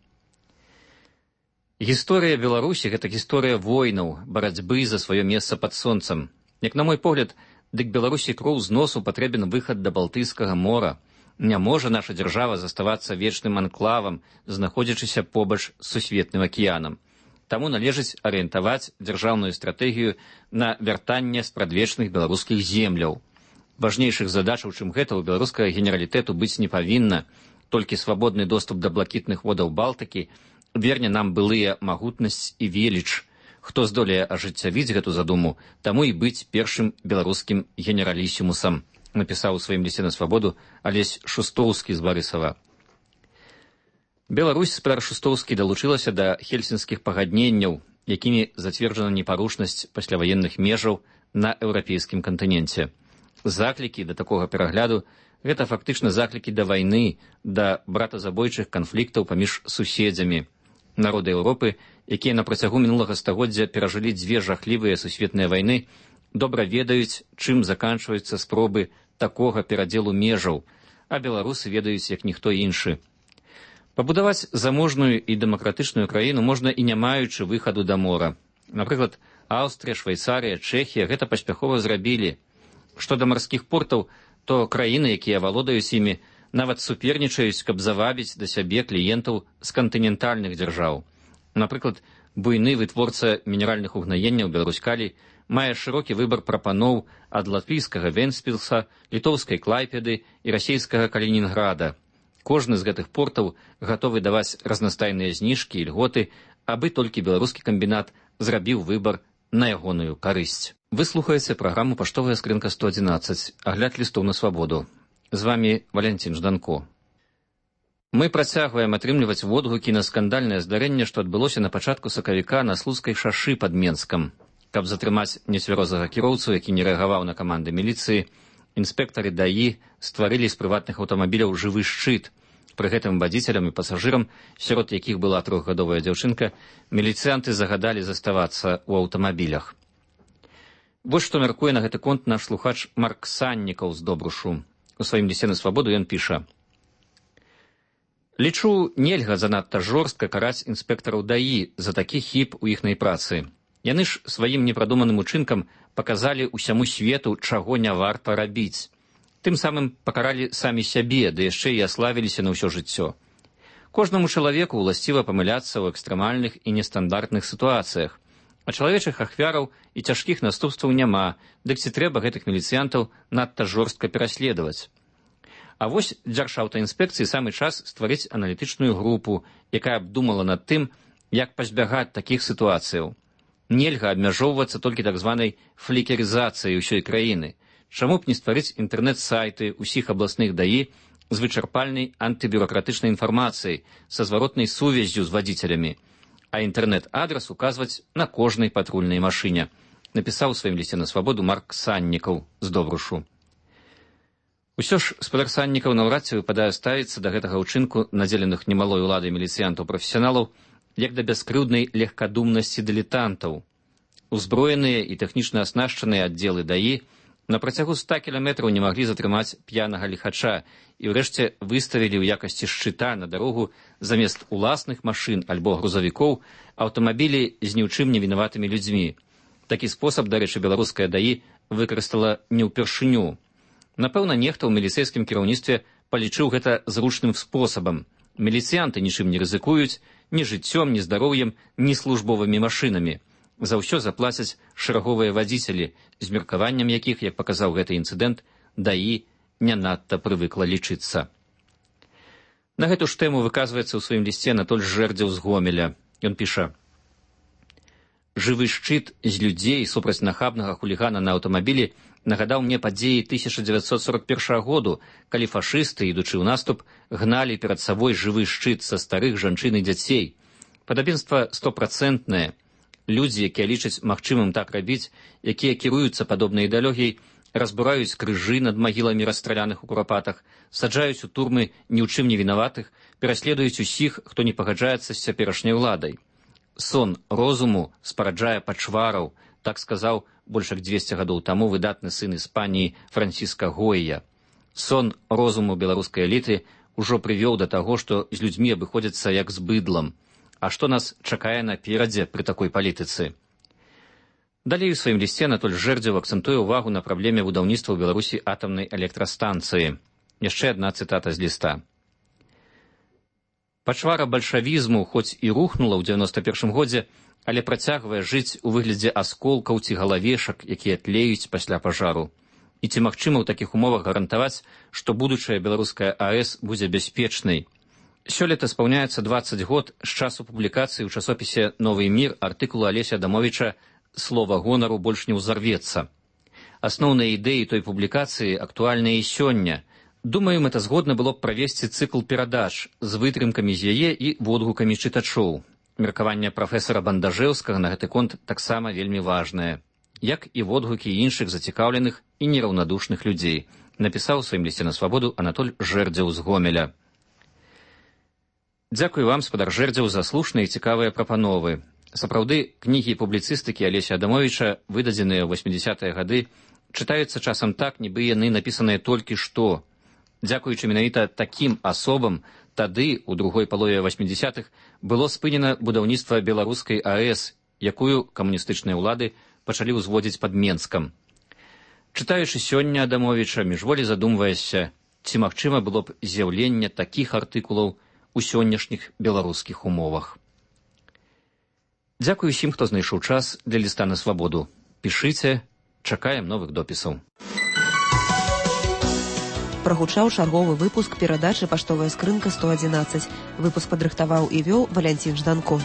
гісторыя Беларусі — гэта гісторыя войнаў, барацьбы за сваё месца пад сонцам. Як на мой погляд, дык Беларусі кроў з носу патрэбен выхад да Балтыйскага мора. Не можа наша дзяржава заставацца вечным анклавам, знаходзячыся побач з сусветным акіянам. Таму належыць арыентаваць дзяржаўную стратэгію на вяртанне спрадвечных беларускіх земляў. Важнейшых задачаў, чым гэта, у беларускага генералітэту быць не павінна. Толькі свабодны доступ да блакітных водаў Балтыкі верне нам былыя магутнасць і веліч. Хто здолее ажыццявіць гэту задуму, таму і быць першым беларускім генералісімусам, напісаў у сваім лісце на свабоду Алесь Шустоўскі з Барысава. Беларусь, спадар Шустоўскі, далучылася да хельсінскіх пагадненняў, якімі зацверджана непарушнасць пасляваенных межаў на еўрапейскім кантыненце. Заклікі да такога перагляду — гэта фактычна заклікі да вайны, да братазабойчых канфліктаў паміж суседзямі. Народы Еўропы, якія на працягу мінулага стагоддзя перажылі дзве жахлівыя сусветныя вайны, добра ведаюць, чым заканчваюцца спробы такога перадзелу межаў, а беларусы ведаюць, як ніхто іншы. Пабудаваць заможную і дэмакратычную краіну можна і не маючы выхаду да мора. Напрыклад, Аўстрыя, Швейцарыя, Чэхія гэта паспяхова зрабілі. Што да марскіх портаў, то краіны, якія валодаюць імі, нават супернічаюць, каб завабіць да сябе кліентаў з кантынентальных дзяржаў. Напрыклад, буйны вытворца мінеральных угнаенняў Беларусь-Калій мае шырокі выбар прапаноў ад латвійскага Вентспілса, літоўскай Клайпеды і расійскага Калінінграда. Кожны з гэтых портаў гатовы даваць разнастайныя зніжкі і льготы, абы толькі беларускі камбінат зрабіў выбар на ягоную карысць. Вы слухаеце праграму «Паштовая скрынка сто адзінаццаць», агляд лістоў на свабоду. З вамі Валянцін Жданко. Мы працягваем атрымліваць водгукі на скандальнае здарэнне, што адбылося на пачатку сакавіка на Слуцкай шашы пад Менскам. Каб затрымаць нецвярозага кіроўцу, які не рэагаваў на каманды міліцыі, Інспектары даі стварылі з прыватных аўтамабіляў жывы шчыт. Пры гэтым вадзіцелям і пасажырам, сярод якіх была трохгадовая дзяўчынка, міліцыянты загадалі заставацца ў аўтамабілях. Вось што мяркуе на гэты конт наш слухач Марк Саннікаў з Добрушу. У сваім лісце на свабоду ён піша: «Лічу, нельга занадта жорстка караць інспектараў даі за такі хіб у іхнай працы. Яны ж сваім непрадуманым учынкам паказалі ўсяму свету, чаго не варта рабіць. Тым самым пакаралі самі сябе, ды яшчэ і аславіліся на ўсё жыццё. Кожнаму чалавеку ўласціва памыляцца ў экстрэмальных і нестандартных сітуацыях, а чалавечых ахвяраў і цяжкіх наступстваў няма, дык ці трэба гэтых міліцыянтаў надта жорстка пераследаваць. А вось дзяржаўтаінспекцыі самы час стварыць аналітычную групу, якая б думала над тым, як пазбягаць такіх сітуацыяў. Нельга абмяжоўвацца толькі так званай флікерызацыяй усёй краіны. Чаму б не стварыць інтэрнэт-сайты ўсіх абласных даі з вычарпальнай антыбюракратычнай інфармацыяй, са зваротнай сувяззю з вадзіцелямі, а інтэрнэт-адрас указваць на кожнай патрульнай машыне, напісаў у сваім лісце на свабоду Марк Саннікаў з Добрушу. Усё ж спадар Саннікаў наўрад ці выпадае ставіцца да гэтага ўчынку надзеленых немалой уладай міліцыянтаў-прафесіяналаў як да бяскрыўднай легкадумнасці дылетантаў. Узброеныя і тэхнічна аснашчаныя аддзелы даі на працягу ста кіламетраў не маглі затрымаць п'янага ліхача і ўрэшце выставілі ў якасці шчыта на дарогу замест уласных машын альбо грузавікоў аўтамабілі з ні ў чым не вінаватымі людзьмі. Такі спосаб, дарэчы, беларуская даі выкарыстала не ўпершыню. Напэўна, нехта ў міліцэйскім кіраўніцтве палічыў гэта зручным спосабам. Міліцыянты нічым не рызыкуюць, ні жыццём, ні здароўем, ні службовымі машынамі. За ўсё заплацяць шэраговыя вадзіцелі, з меркаваннем якіх, як паказаў гэты інцыдэнт, даі не надта прывыкла лічыцца. На гэту ж тэму выказваецца ў сваім лісце Анатоль Жэрдзеў з Гомеля. Ён піша: «Жывы шчыт з людзей супраць нахабнага хулігана на аўтамабілі нагадаў мне падзеі тысяча дзевяцьсот сорок першага году, калі фашысты, ідучы ў наступ, гналі перад сабой жывы шчыт са старых жанчын і дзяцей. Падабенства стопрацэнтнае. Людзі, якія лічаць магчымым так рабіць, якія кіруюцца падобнай ідэалогіяй, разбураюць крыжы над магіламі расстраляных у курапатах, саджаюць у турмы ні ў чым не вінаватых, пераследуюць усіх, хто не пагаджаецца з цяперашняй уладай. Сон розуму спараджае пачвараў, так сказаў больш як дзвесце гадоў таму выдатны сын Іспаніі Франціска Гойя. Сон розуму беларускай эліты ўжо прывёў да таго, што з людзьмі абыходзяцца як з быдлам. А што нас чакае наперадзе пры такой палітыцы? Далей у сваім лісце Анатоль Жэрдзеў акцэнтуе ўвагу на праблеме будаўніцтва ў Беларусі атамнай электрастанцыі. Яшчэ адна цытата з ліста. Пачвара бальшавізму хоць і рухнула ў дзевяноста першым годзе, але працягвае жыць у выглядзе асколкаў ці галавешак, якія тлеюць пасля пажару. І ці магчыма ў такіх умовах гарантаваць, што будучая беларуская АЭС будзе бяспечнай? Сёлета спаўняецца дваццаць год з часу публікацыі ў часопісе «Новы мір» артыкулу Алеся Адамовіча «Слова гонару больш не ўзарвецца». Асноўныя ідэі той публікацыі актуальныя і сёння. Думаю, мэтазгодна было б правесці цыкл перадач з вытрымкамі з яе і водгукамі чытачоў. Меркаванне прафесара Бандажэўскага на гэты конт таксама вельмі важнае, як і водгукі іншых зацікаўленых і нераўнадушных людзей, напісаў у сваім лісце на свабоду Анатоль Жэрдзеў з Гомеля. Дзякуй вам, спадар Жэрдзеў, за слушныя і цікавыя прапановы. Сапраўды, кнігі і публіцыстыкі Алеся Адамовіча, выдадзеныя ў восьмідзясятыя гады, чытаюцца часам так, нібы яны напісаныя толькі што. Дзякуючы менавіта такім асобам, тады, у другой палове восьмідзясятых, было спынена будаўніцтва беларускай АЭС, якую камуністычныя ўлады пачалі ўзводзіць пад Менскам. Чытаючы сёння Адамовіча, міжволі задумваешся, ці магчыма было б з'яўленне такіх артыкулаў у сённяшніх беларускіх умовах. Дзякуй усім, хто знайшоў час для ліста на свабоду. Пішыце, чакаем новых допісаў. Прагучаў чарговы выпуск перадачы «Паштовая скрынка сто адзінаццаць». Выпуск падрыхтаваў і вёў Валянцін Жданко.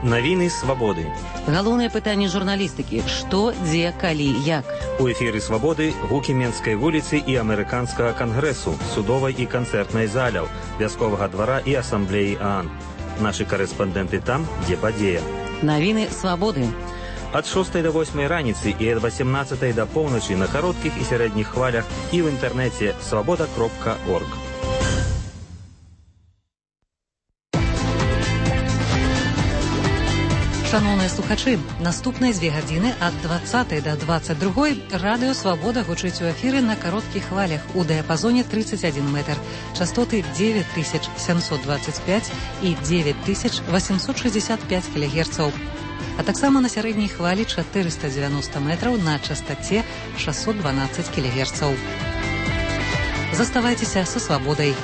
Навіны свабоды. Галоўнае пытанне журналістыкі: што, дзе, калі, як. У эфіры свабоды гукі Менскай вуліцы і амерыканскага кангрэсу, судовай і канцэртнай заляў, вясковага двара і асамблеі ААН. Нашы карэспандэнты там, дзе падзея. Навіны свабоды. Ад шостай да восьмай раніцы і ад васемнаццатай да поўначы на кароткіх і сярэдніх хвалях і ў інтэрнэце свабода кропка орг. Шановныя слухачы, наступныя дзве гадзіны ад дваццатай да дваццаць другой радыё «Свабода» гучыць у эфіры на кароткіх хвалях у дыяпазоне тридцать один метр, частоты девять тысяч семьсот двадцать пять і девять тысяч восемьсот шестьдесят пять кілогерцаў, а таксама на сярэдняй хвалі четыреста девяносто метраў на частоце шестьсот двенадцать кілогерцаў. Заставайцеся са «Свабодай».